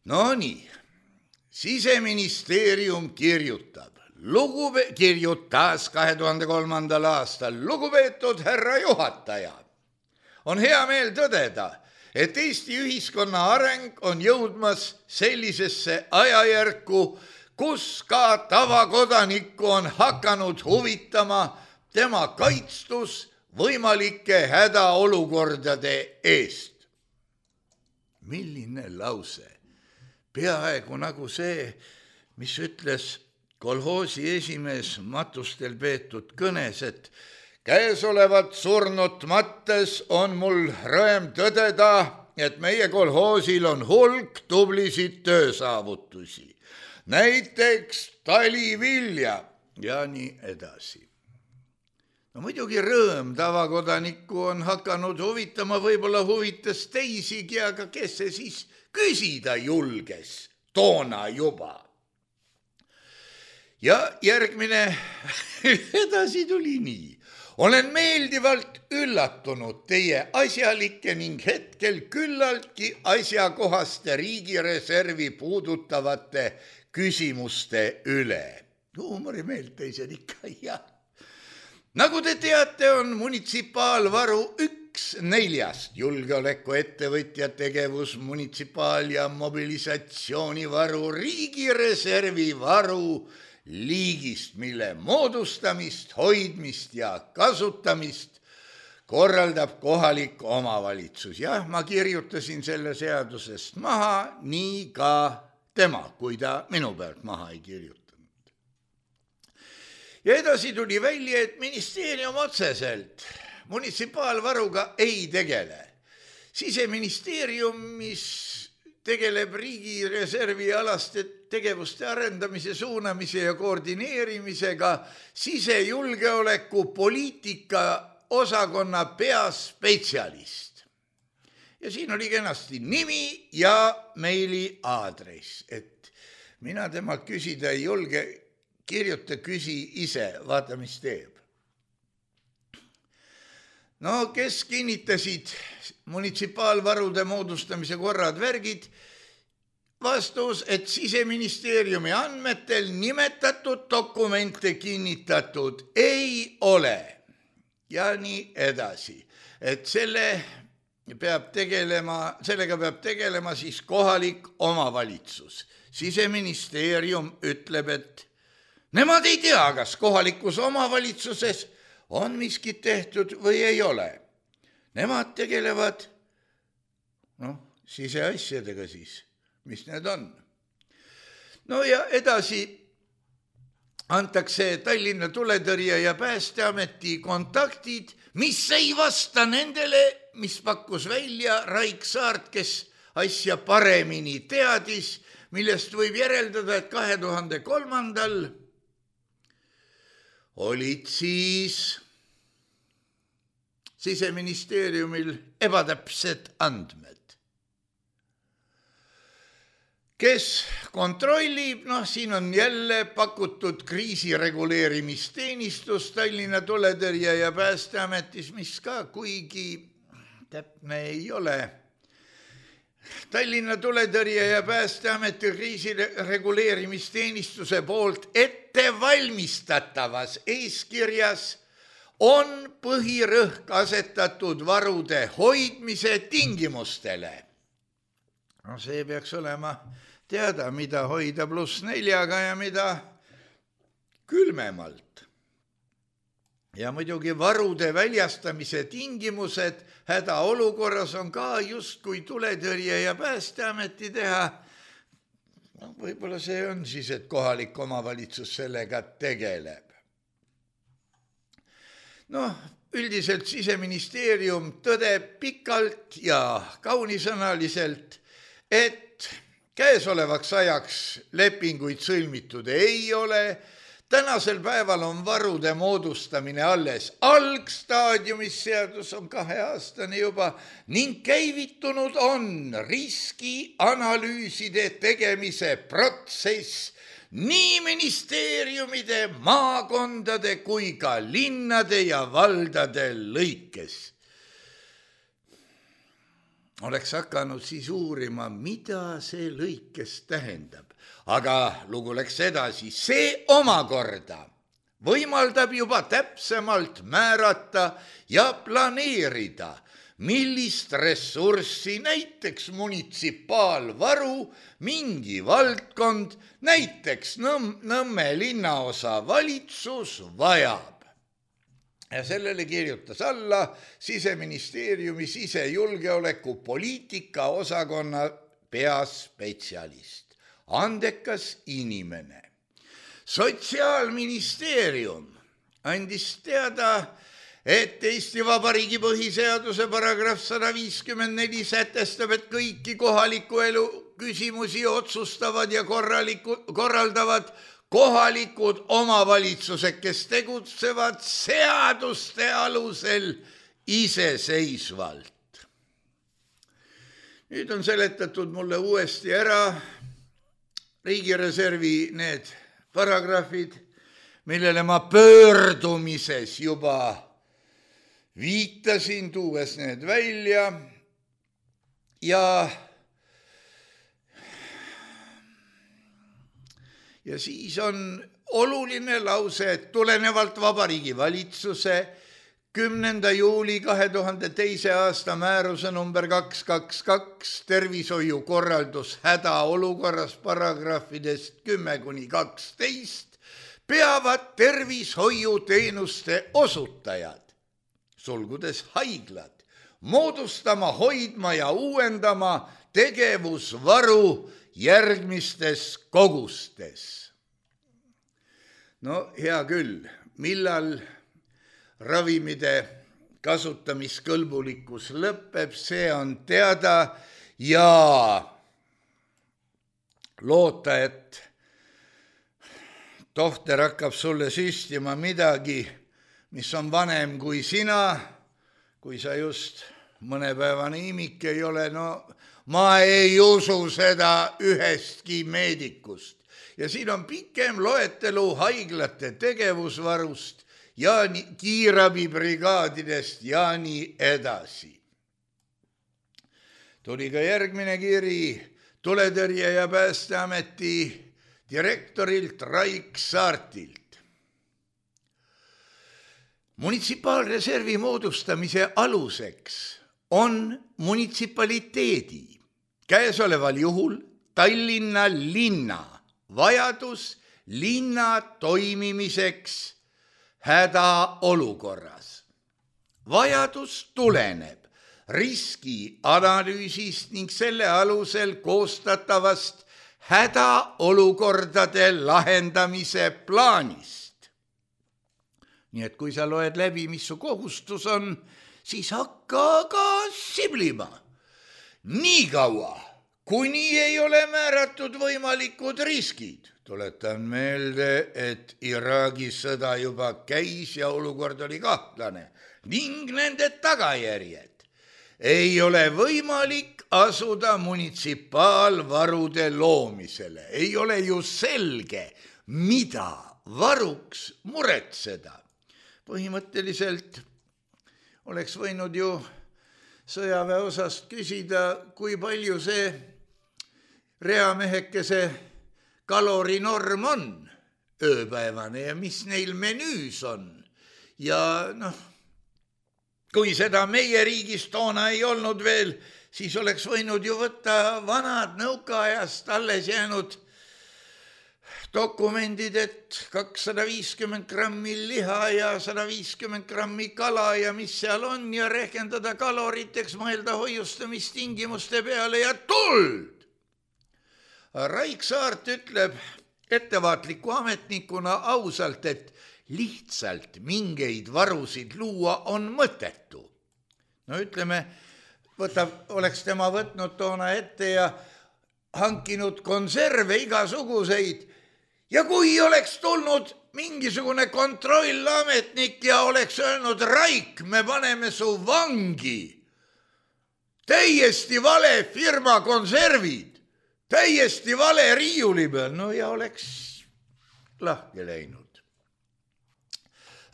No nii, Siseministeerium kirjutab. Lugube, kirjutas kahe tuhande kolmandal aastal, lugupeetud härra juhataja, on hea meel tõdeda, et Eesti ühiskonna areng on jõudmas sellisesse ajajärku, kus ka tavakodanikku on hakanud huvitama tema kaitstus võimalike hädaolukordade eest. Milline lause? Peaaegu nagu see, mis ütles kolhoosi esimees matustel peetud kõnes, et käesolevat surnut mattes on mul rõõm tõdeda, et meie kolhoosil on hulk tublisid töösaavutusi. Näiteks talivilja ja nii edasi. No muidugi rõõm tavakodanikku on hakanud huvitama, võib-olla huvitas teisigi, aga kes see siis küsida julges toona juba? Ja järgmine edasi tuli nii. Olen meeldivalt üllatunud teie asjalike ning hetkel küllaltki asjakohaste riigireservi puudutavate küsimuste üle. Huumorimeelt teised ikka, jah. Nagu te teate, on munitsipaalvaru üks neljast julgeolekuettevõtja tegevus munitsipaal- ja mobilisatsioonivaru riigireservi varu liigist, mille moodustamist, hoidmist ja kasutamist korraldab kohalik omavalitsus. Jah, ma kirjutasin selle seadusest maha, nii ka tema, kui ta minu pealt maha ei kirjutanud. Ja edasi tuli välja, et ministeerium otseselt munitsipaalvaruga ei tegele. Siseministeeriumis tegeleb riigireservi alaste tegevuste arendamise, suunamise ja koordineerimisega sisejulgeoleku poliitika osakonna peaspetsialist. ja siin oli kenasti nimi ja meili aadress, et mina temalt küsida ei julge, kirjuta, küsi ise, vaata, mis teeb. No, kes kinnitasid munitsipaalvarude moodustamise korrad värgid, vastus, et Siseministeeriumi andmetel nimetatud dokumente kinnitatud ei ole. Ja nii edasi, et selle peab tegelema, sellega peab tegelema siis kohalik omavalitsus. Siseministeerium ütleb, et nemad ei tea, kas kohalikus omavalitsuses on miskit tehtud või ei ole. Nemad tegelevad, noh, siseasjadega siis, mis need on. No ja edasi antakse Tallinna tuletõrje ja Päästeameti kontaktid, mis ei vasta nendele, mis pakkus välja Raik Saart, kes asja paremini teadis, millest võib järeldada, et kahe tuhande kolmandal olid siis Siseministeeriumil ebatäpsed andmed. Kes kontrollib, noh, siin on jälle pakutud kriisireguleerimisteenistus Tallinna tuletõrje ja Päästeametis, mis ka kuigi täpne ei ole. Tallinna tuletõrje ja Päästeameti kriisireguleerimisteenistuse poolt ettevalmistatavas eeskirjas on põhirõhk asetatud varude hoidmise tingimustele. No see peaks olema teada, mida hoida pluss neljaga ja mida külmemalt. Ja muidugi varude väljastamise tingimused hädaolukorras on ka justkui tuletõrje ja Päästeameti teha. No, võib-olla see on siis, et kohalik omavalitsus sellega tegeleb. No, üldiselt Siseministeerium tõdeb pikalt ja kaunisõnaliselt, et käesolevaks ajaks lepinguid sõlmitud ei ole. Tänasel päeval on varude moodustamine alles algstaadiumis, seadus on kaheaastane juba, ning käivitunud on riskianalüüside tegemise protsess nii ministeeriumide, maakondade kui ka linnade ja valdade lõikes. Oleks hakanud siis uurima, mida see lõikes tähendab. Aga lugu läks edasi, see omakorda võimaldab juba täpsemalt määrata ja planeerida, millist ressurssi, näiteks munitsipaalvaru, mingi valdkond, näiteks Nõmme linnaosa valitsus vajab. Ja sellele kirjutas alla Siseministeeriumi sisejulgeoleku poliitika osakonna peaspetsialist. Andekas inimene. Sotsiaalministeerium andis teada, et Eesti Vabariigi põhiseaduse paragrahv sada viiskümmend neli sätestab, et kõiki kohaliku elu küsimusi otsustavad ja korraldavad kohalikud omavalitsused, kes tegutsevad seaduste alusel iseseisvalt. Nüüd on seletatud mulle uuesti ära riigireservi need paragrahvid, millele ma pöördumises juba viitasin, tuues need välja. Ja, ja siis on oluline lause, et tulenevalt Vabariigi Valitsuse kümnenda juuli kahe tuhande teise aasta määruse number kaks kaks kaks tervishoiukorraldus hädaolukorras paragrahvidest kümme kuni kaksteist peavad tervishoiuteenuste osutajad, sulgudes haiglad, moodustama, hoidma ja uuendama tegevusvaru järgmistes kogustes. No hea küll, millal ravimide kasutamiskõlbulikkus lõpeb, see on teada ja loota, et tohter hakkab sulle süstima midagi, mis on vanem kui sina, kui sa just mõnepäevane imik ei ole, no ma ei usu seda ühestki meedikust. Ja siin on pikem loetelu haiglate tegevusvarust ja kiirabibrigaadidest ja nii edasi. Tuli ka järgmine kiri Tuletõrje ja Päästeameti direktorilt Raik Saartilt. Munitsipaalreservi moodustamise aluseks on munitsipaliteedi, käesoleval juhul Tallinna linna vajadus linna toimimiseks hädaolukorras. Vajadus tuleneb riskianalüüsist ning selle alusel koostatavast hädaolukordade lahendamise plaanist. Nii et kui sa loed läbi, mis su kohustus on, siis hakka ka siblima. Nii kaua, kuni ei ole määratud võimalikud riskid. Tuletan meelde, et Iraagi sõda juba käis ja olukord oli kahtlane ning nende tagajärjed. Ei ole võimalik asuda munitsipaalvarude loomisele. Ei ole ju selge, mida varuks muretseda. Põhimõtteliselt oleks võinud ju sõjaväe osast küsida, kui palju see reamehekese kalorinorm on ööpäevane ja mis neil menüüs on. Ja noh, kui seda meie riigis toona ei olnud veel, siis oleks võinud ju võtta vanad nõukaajast alles jäänud dokumendid, et kakssada viiskümmend grammi liha ja sada viiskümmend grammi kala ja mis seal on ja rehkendada kaloriteks, mõelda hoiustamistingimuste peale ja tuld. Raik Saart ütleb ettevaatliku ametnikuna ausalt, et lihtsalt mingeid varusid luua on mõttetu. No ütleme, võtab, oleks tema võtnud toona ette ja hankinud konserve igasuguseid. Ja kui oleks tulnud mingisugune kontrollametnik ja oleks öelnud, Raik, me paneme su vangi. Täiesti vale firma konservid, täiesti vale riiuli peal, no ja oleks lahke läinud.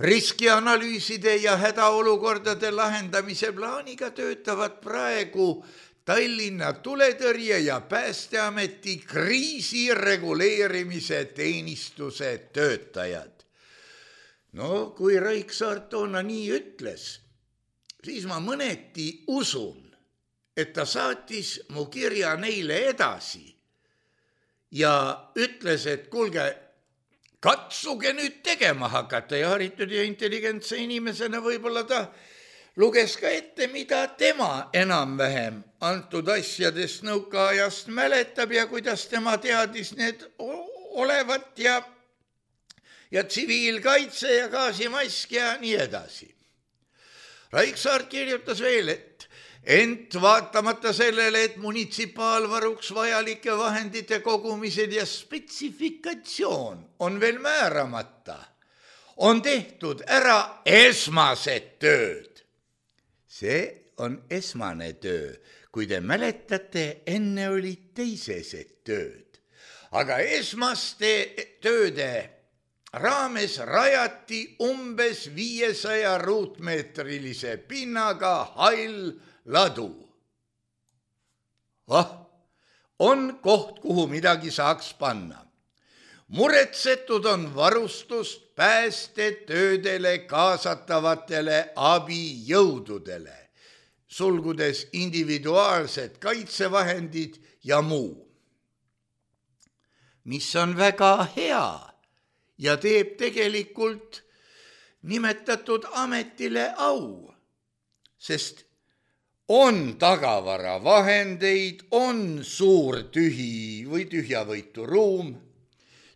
Riskianalüüside ja hädaolukordade lahendamise plaaniga töötavad praegu Tallinna Tuletõrje ja Päästeameti kriisireguleerimise teenistuse töötajad. No kui Raik Saart toona nii ütles, siis ma mõneti usun, et ta saatis mu kirja neile edasi ja ütles, et kuulge, katsuge nüüd tegema hakata ja haritud ja intelligentse inimesena võib-olla ta luges ka ette, mida tema enam-vähem antud asjadest nõukaajast mäletab ja kuidas tema teadis need olevat ja, ja tsiviilkaitse ja gaasimask ja nii edasi. Raik Saart kirjutas veel, et ent vaatamata sellele, et munitsipaalvaruks vajalike vahendite kogumised ja spetsifikatsioon on veel määramata, on tehtud ära esmased tööd. See on esmane töö, kui te mäletate, enne olid teisesed tööd. Aga esmaste tööde raames rajati umbes viiesaja ruutmeetrilise pinnaga hall ladu. Oh, on koht, kuhu midagi saaks panna. Muretsetud on varustust päästetöödele kaasatavatele abijõududele, sulgudes individuaalsed kaitsevahendid ja muu. Mis on väga hea ja teeb tegelikult nimetatud ametile au, sest on tagavaravahendeid, on suur tühi või tühjavõitu ruum,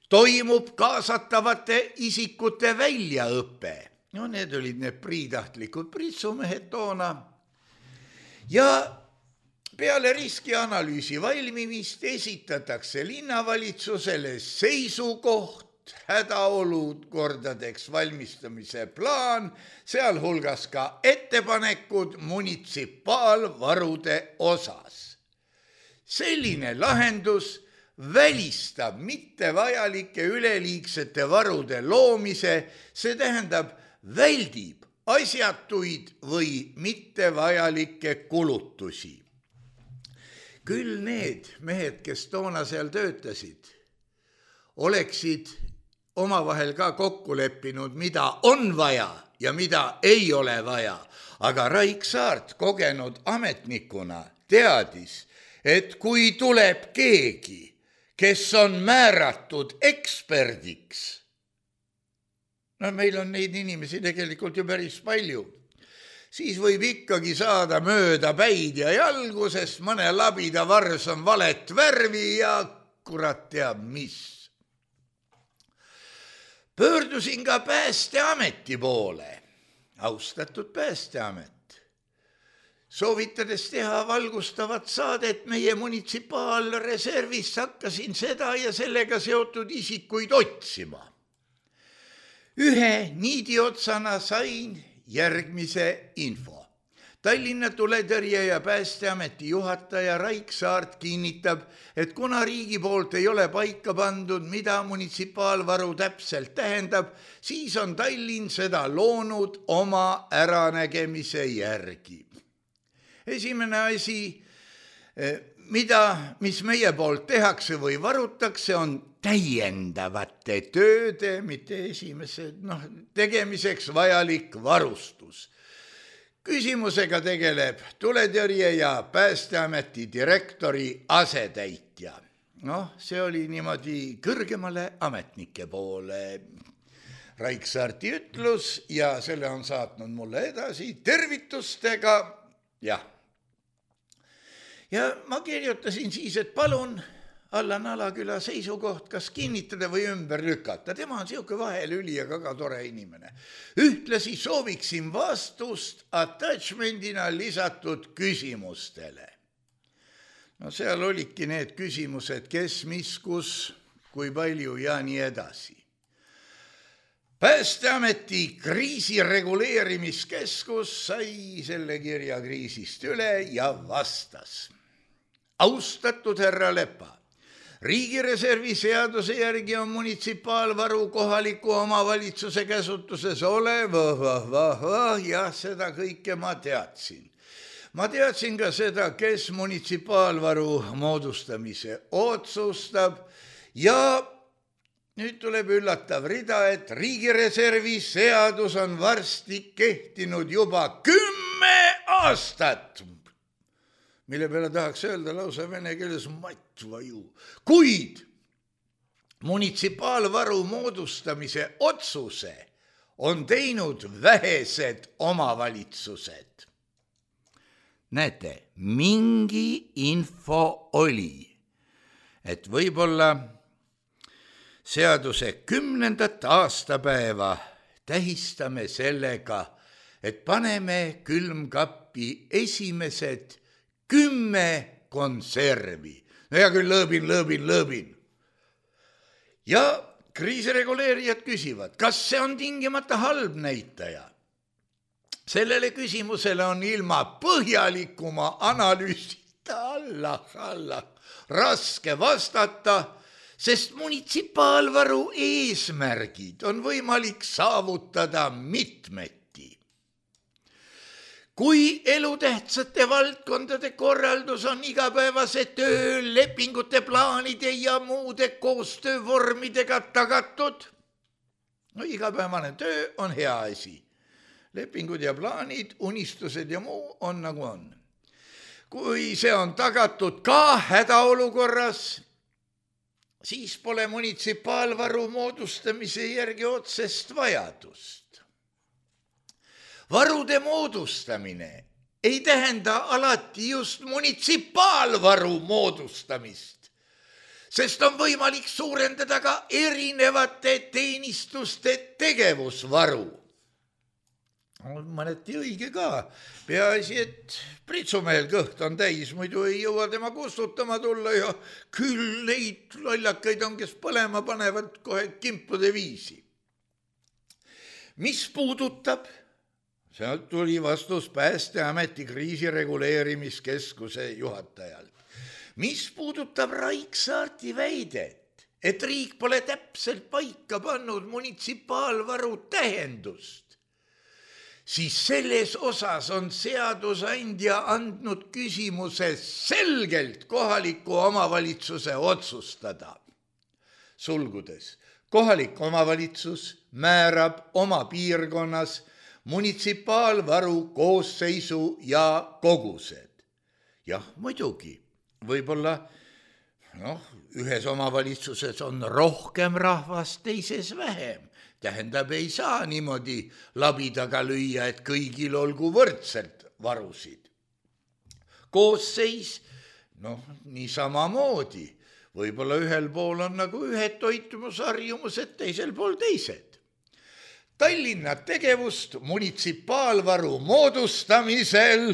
toimub kaasatavate isikute väljaõpe. No need olid need priitahtlikud pritsumehed toona. Ja peale riskianalüüsi valmimist esitatakse linnavalitsusele seisukoht hädaolukordadeks valmistamise plaan, sealhulgas ka ettepanekud munitsipaalvarude osas. Selline lahendus välistab mittevajalike üleliigsete varude loomise, see tähendab väldib asjatuid või mittevajalikke kulutusi. Küll need mehed, kes toona seal töötasid, oleksid omavahel ka kokku leppinud, mida on vaja ja mida ei ole vaja. Aga Raik Saart kogenud ametnikuna teadis, et kui tuleb keegi, kes on määratud eksperdiks, no meil on neid inimesi tegelikult ju päris palju, siis võib ikkagi saada mööda päid ja jalgu, sest mõne labida vars on valet värvi ja kurat teab mis. Pöördusin ka Päästeameti poole, austatud Päästeamet, soovitades teha valgustavat saadet meie munitsipaalreservist, hakkasin seda ja sellega seotud isikuid otsima. Ühe niidiotsana sain järgmise info. Tallinna tuletõrje ja Päästeameti juhataja Raik Saart kinnitab, et kuna riigi poolt ei ole paika pandud, mida munitsipaalvaru täpselt tähendab, siis on Tallinn seda loonud oma äranägemise järgi. Esimene asi, mida, mis meie poolt tehakse või varutakse, on täiendavate tööde, mitte esimese, noh, tegemiseks vajalik varustus. Küsimusega tegeleb tuletõrje ja Päästeameti direktori asetäitja. Noh, see oli niimoodi kõrgemale ametnike poole. Raik Saarti ütlus ja selle on saatnud mulle edasi tervitustega. Jah. Ja ma kirjutasin siis, et palun Allan Alaküla seisukoht, kas kinnitada või ümber lükata. Tema on siuke vahelüli ja väga tore inimene. Ühtlasi sooviksin vastust attachmentina lisatud küsimustele. No seal olidki need küsimused, kes, mis, kus, kui palju ja nii edasi. Päästeameti kriisireguleerimiskeskus sai selle kirja kriisist üle ja vastas. Austatud härra Lepa, riigireservi seaduse järgi on munitsipaalvaru kohaliku omavalitsuse käsutuses olev, vah, vah, vah, jah, seda kõike ma teadsin. Ma teadsin ka seda, kes munitsipaalvaru moodustamise otsustab ja nüüd tuleb üllatav rida, et riigireservi seadus on varsti kehtinud juba kümme aastat. Mille peale tahaks öelda lausa vene keeles matvaju. Kuid munitsipaalvaru moodustamise otsuse on teinud vähesed omavalitsused. Näete, mingi info oli, et võib-olla seaduse kümnendat aastapäeva tähistame sellega, et paneme külmkappi esimesed kümme konservi. No ja küll lõõbin, lõõbin, lõõbin. Ja kriisireguleerijad küsivad, kas see on tingimata halb näitaja? Sellele küsimusele on ilma põhjalikuma analüüsita Allah, Allah, raske vastata, sest munitsipaalvaru eesmärgid on võimalik saavutada mitmeti. Kui elutähtsate valdkondade korraldus on igapäevase töö, lepingute, plaanide ja muude koostöövormidega tagatud, no igapäevane töö on hea asi. Lepingud ja plaanid, unistused ja muu on nagu on. Kui see on tagatud ka hädaolukorras, siis pole munitsipaalvaru moodustamise järgi otsest vajadust. Varude moodustamine ei tähenda alati just munitsipaalvaru moodustamist, sest on võimalik suurendada ka erinevate teenistuste tegevusvaru. mõneti õige ka. Peaasi, et pritsumehel kõht on täis, muidu ei jõua tema kustutama tulla ja küll neid lollakaid on, kes põlema panevad kohe kimpude viisi. Mis puudutab, sealt tuli vastus Päästeameti kriisireguleerimiskeskuse juhatajalt. Mis puudutab Raiksaarti väidet, et riik pole täpselt paika pannud munitsipaalvaru tähendust, siis selles osas on seadusandja andnud küsimuse selgelt kohaliku omavalitsuse otsustada. Sulgudes, kohalik omavalitsus määrab oma piirkonnas munitsipaalvaru koosseisu ja kogused. Jah, muidugi, võib-olla noh, ühes omavalitsuses on rohkem rahvast, teises vähem. Tähendab, ei saa niimoodi labidaga lüüa, et kõigil olgu võrdselt varusid. Koosseis, noh, nii samamoodi. Võib-olla ühel pool on nagu ühed toitumusharjumused, teisel pool teised. Tallinna tegevust munitsipaalvaru moodustamisel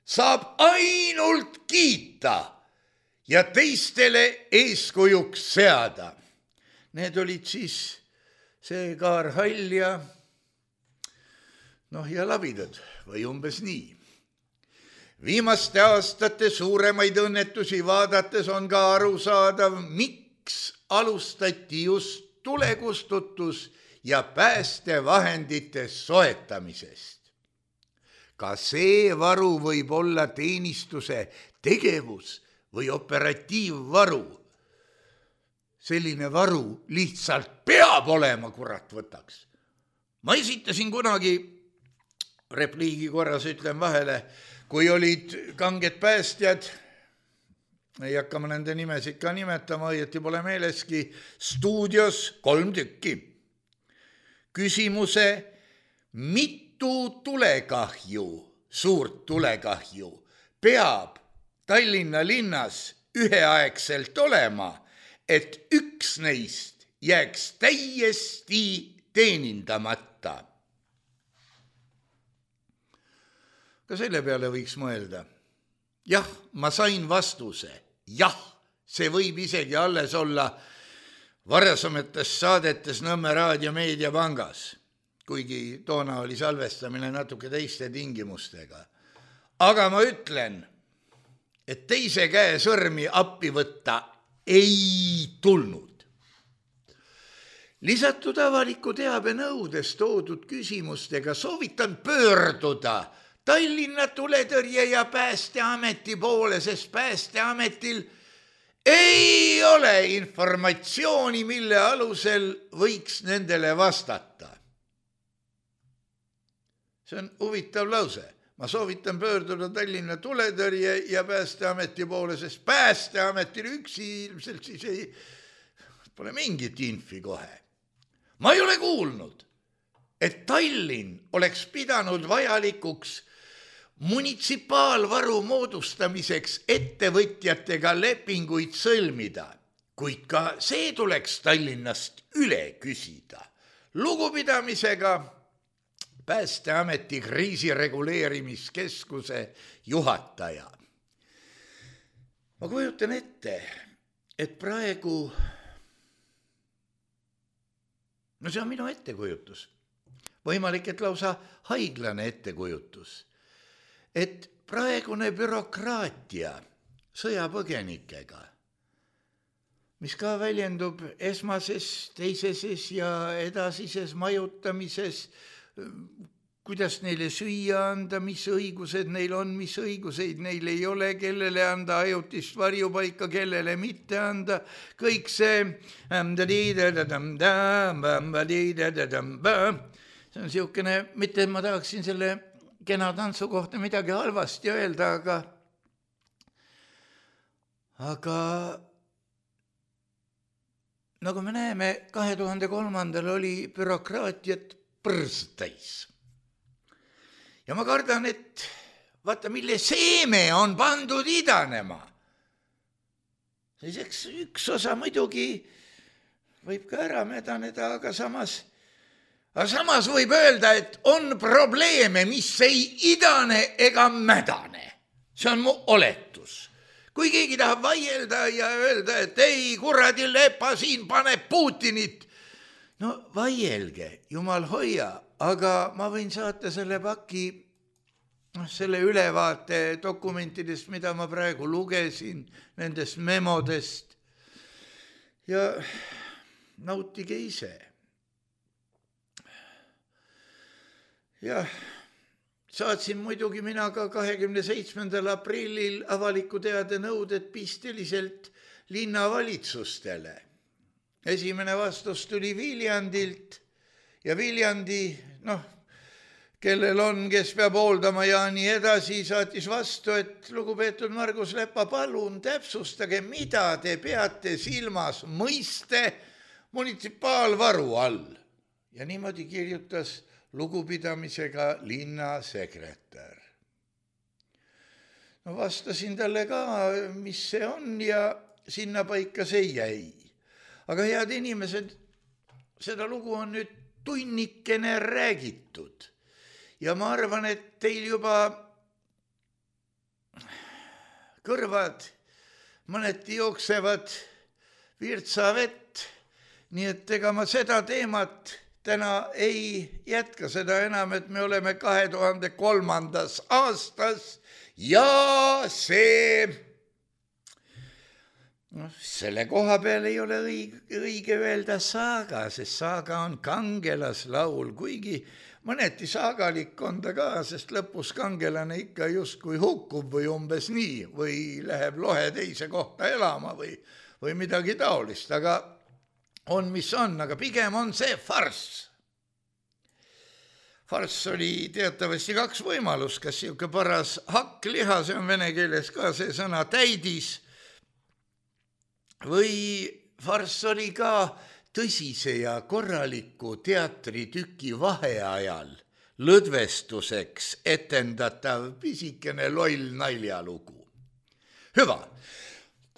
saab ainult kiita ja teistele eeskujuks seada. Need olid siis see Kaar Hall ja, noh, ja labidad või umbes nii. Viimaste aastate suuremaid õnnetusi vaadates on ka arusaadav, miks alustati just tulekustutus ja päästevahendite soetamisest. Ka see varu võib olla teenistuse tegevus või operatiivvaru. Selline varu lihtsalt peab olema, kurat võtaks. Ma esitasin kunagi, repliigi korras ütlen vahele, kui olid kanged päästjad, ei hakka ma nende nimesid ka nimetama, õieti pole meeleski, stuudios kolm tükki. Küsimuse, mitu tulekahju, suurt tulekahju, peab Tallinna linnas üheaegselt olema, et üks neist jääks täiesti teenindamata. Ka selle peale võiks mõelda. Jah, ma sain vastuse. Jah, see võib isegi alles olla varasemates saadetes Nõmme Raadio Meediapangas, kuigi toona oli salvestamine natuke teiste tingimustega. Aga ma ütlen, et teise käe sõrmi appi võtta ei tulnud. Lisatud avaliku teabe nõudes toodud küsimustega soovitan pöörduda Tallinna tuletõrje ja Päästeameti poole, sest Päästeametil ei ole informatsiooni, mille alusel võiks nendele vastata. See on huvitav lause. Ma soovitan pöörduda Tallinna tuletõrje ja Päästeameti poole, sest Päästeametil üksi ilmselt siis ei, pole mingit infi kohe. Ma ei ole kuulnud, et Tallinn oleks pidanud vajalikuks munitsipaalvaru moodustamiseks ettevõtjatega lepinguid sõlmida, kuid ka see tuleks Tallinnast üle küsida. Lugupidamisega Päästeameti kriisireguleerimiskeskuse juhataja. Ma kujutan ette, et praegu, no see on minu ettekujutus, võimalik, et lausa haiglane ettekujutus, et praegune bürokraatia sõjapõgenikega, mis ka väljendub esmases, teiseses ja edasises majutamises, kuidas neile süüa anda, mis õigused neil on, mis õiguseid neil ei ole, kellele anda ajutist varjupaika, kellele mitte anda, kõik see, see on siukene, mitte ma tahaksin selle kena tantsu kohta midagi halvasti öelda, aga aga nagu me näeme, kahe tuhande kolmandal oli bürokraatiat põrstäis. Ja ma kardan, et vaata, mille seeme on pandud idanema. Siis üks osa muidugi võib ka ära medaneda, aga samas, aga samas võib öelda, et on probleeme, mis ei idane ega mädane. See on mu oletus. Kui keegi tahab vaielda ja öelda, et ei, kuradi lepa siin paneb Putinit, no vaielge, jumal hoia, aga ma võin saata selle paki, selle ülevaate dokumentidest, mida ma praegu lugesin, nendest memodest ja nautige ise. Jah, saatsin muidugi mina ka kahekümne seitsmendal aprillil avaliku teade nõuded pisteliselt linnavalitsustele. Esimene vastus tuli Viljandilt ja Viljandi, noh, kellel on, kes peab hooldama ja nii edasi, saatis vastu, et lugupeetud Margus Lepa, palun täpsustage, mida te peate silmas mõiste munitsipaalvaru all. Ja niimoodi kirjutas lugupidamisega linnasekretär. No vastasin talle ka, mis see on ja sinna paika see jäi. Aga head inimesed, seda lugu on nüüd tunnikene räägitud. Ja ma arvan, et teil juba kõrvad mõneti jooksevad virtsavett, nii et ega ma seda teemat täna ei jätka, seda enam, et me oleme kahe tuhande kolmandas aastas ja see, no, selle koha peal ei ole õige, õige öelda saaga, sest saaga on kangelaslaul, kuigi mõneti saagalik on ta ka, sest lõpus kangelane ikka justkui hukkub või umbes nii, või läheb lohe teise kohta elama või, või midagi taolist, aga on, mis on, aga pigem on see farss. Farss oli teatavasti kaks võimalust, kas siuke paras hakkliha, see on vene keeles ka see sõna täidis, või farss oli ka tõsise ja korraliku teatritüki vaheajal lõdvestuseks etendatav pisikene loll naljalugu. Hüva!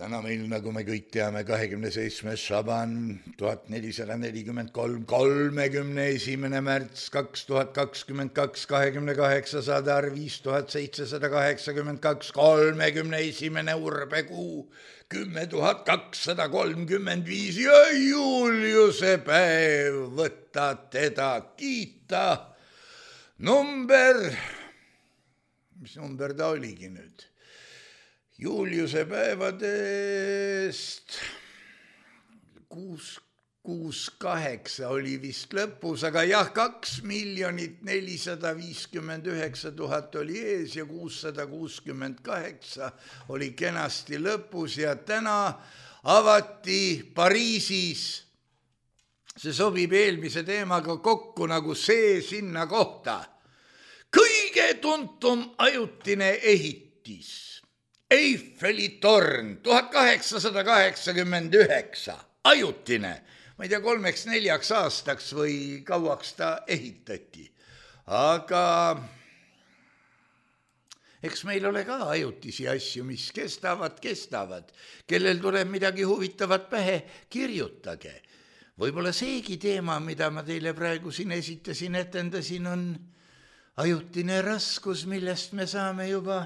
Täna meil, nagu me kõik teame, kahekümne seitsmes Šaban, tuhat nelisada nelikümmend kolm, kolmekümne esimene märts, kaks tuhat kakskümmend kaks, kahekümne kaheksa sadar, viis tuhat seitsesada kaheksakümmend kaks, kolmekümne esimene urbekuu, kümme tuhat kakssada kolmkümmend viis ja Juliuse päev, võtta teda kiita. Number, mis number ta oligi nüüd? Juliuse päevadest kuus, kuus, kaheksa oli vist lõpus, aga jah, kaks miljonit nelisada viiskümmend üheksa tuhat oli ees ja kuussada kuuskümmend kaheksa oli kenasti lõpus ja täna avati Pariisis, see sobib eelmise teemaga kokku nagu see sinna kohta, kõige tuntum ajutine ehitis. Eiffeli torn, tuhat kaheksasada kaheksakümmend üheksa, ajutine, ma ei tea, kolmeks neljaks aastaks või kauaks ta ehitati. Aga eks meil ole ka ajutisi asju, mis kestavad, kestavad. Kellel tuleb midagi huvitavat pähe, kirjutage. Võib-olla seegi teema, mida ma teile praegu siin esitasin, etendasin, on ajutine raskus, millest me saame juba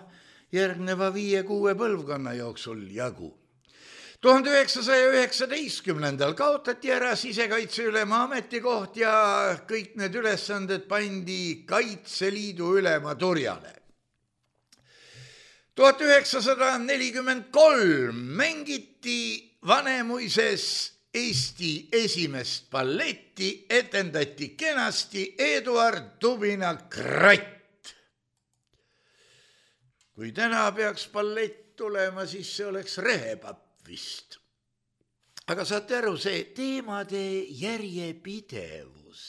järgneva viie-kuue põlvkonna jooksul jagu. tuhande üheksasaja üheksateistkümnendal kaotati ära sisekaitseülema ametikoht ja kõik need ülesanded pandi Kaitseliidu ülema turjale. tuhat üheksasada nelikümmend kolm mängiti Vanemuises Eesti esimest balletti, etendati kenasti Eduard Tubina Kratt. Kui täna peaks ballett tulema, siis see oleks Rehepapp vist. Aga saate aru, see teemade järjepidevus.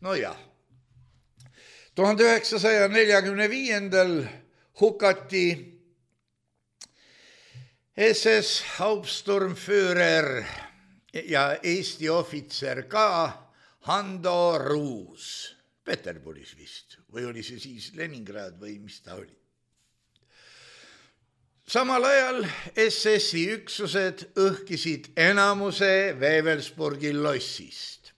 No jah, tuhande üheksasaja neljakümne viiendal hukati S S Hauptsturmführer ja Eesti ohvitser ka Hando Ruus. Peterburis vist, või oli see siis Leningrad või mis ta oli? Samal ajal S S-i üksused õhkisid enamuse Wewelsburgi lossist.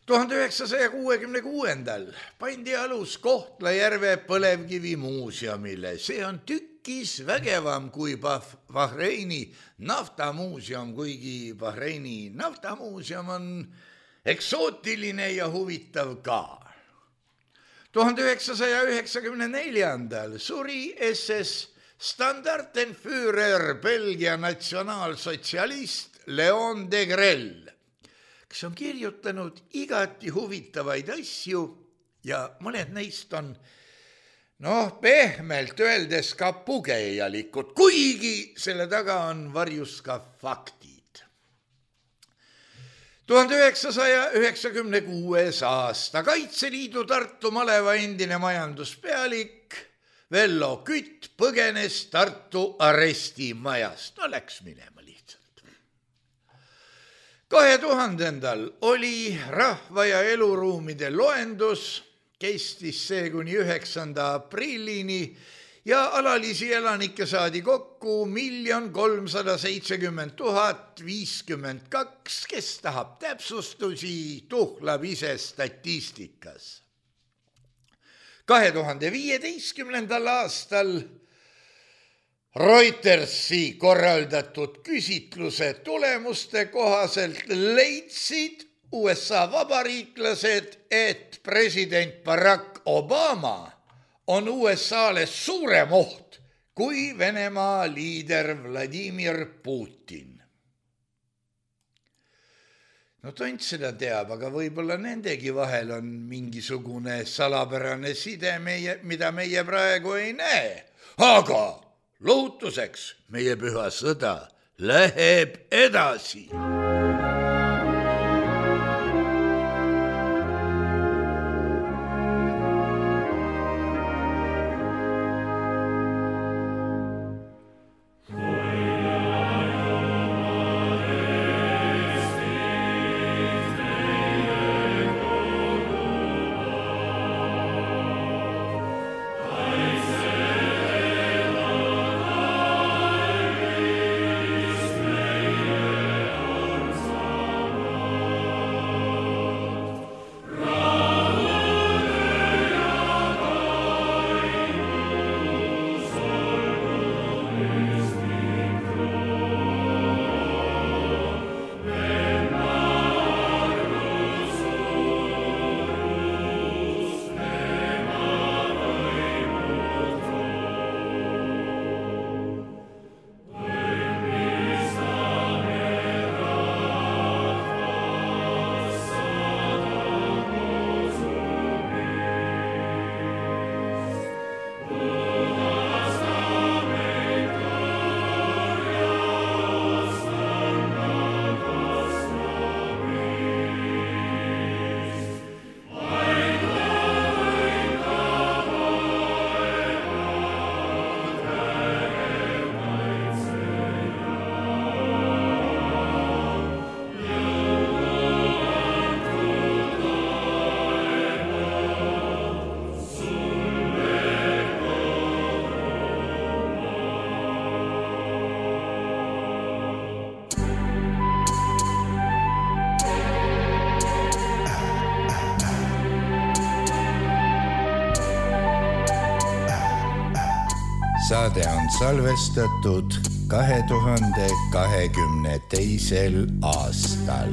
tuhande üheksasaja kuuekümne kuuendal pandi alus Kohtla-Järve põlevkivimuuseumile. See on tükkis vägevam kui Bahreini naftamuuseum, kuigi Bahreini naftamuuseum on eksootiline ja huvitav ka. tuhande üheksasaja üheksakümne neljandal suri S S Standartenführer Belgia natsionaalsotsialist Leon Degrelle, kes on kirjutanud igati huvitavaid asju ja mõned neist on, noh, pehmelt öeldes ka pugejalikud, kuigi selle taga on varjus ka faktid. tuhande üheksasaja üheksakümne kuues aasta Kaitseliidu Tartu maleva endine majanduspealik Vello Kütt põgenes Tartu arestimajast. No läks minema lihtsalt. kahe tuhandendal oli rahva ja eluruumide loendus, kestis see kuni üheksanda aprillini ja alalisi elanikke saadi kokku miljon kolmsada seitsekümmend tuhat viiskümmend kaks, kes tahab täpsustusi, tuhlab ise statistikas. kahe tuhande viieteistkümnendal aastal Reutersi korraldatud küsitluse tulemuste kohaselt leidsid U S A vabariiklased, et president Barack Obama on U S A-le suurem oht kui Venemaa liider Vladimir Putin. No tont seda teab, aga võib-olla nendegi vahel on mingisugune salapärane side, meie, mida meie praegu ei näe. Aga lohutuseks meie püha sõda läheb edasi. Saade on salvestatud kahe tuhande kahekümne teisel aastal.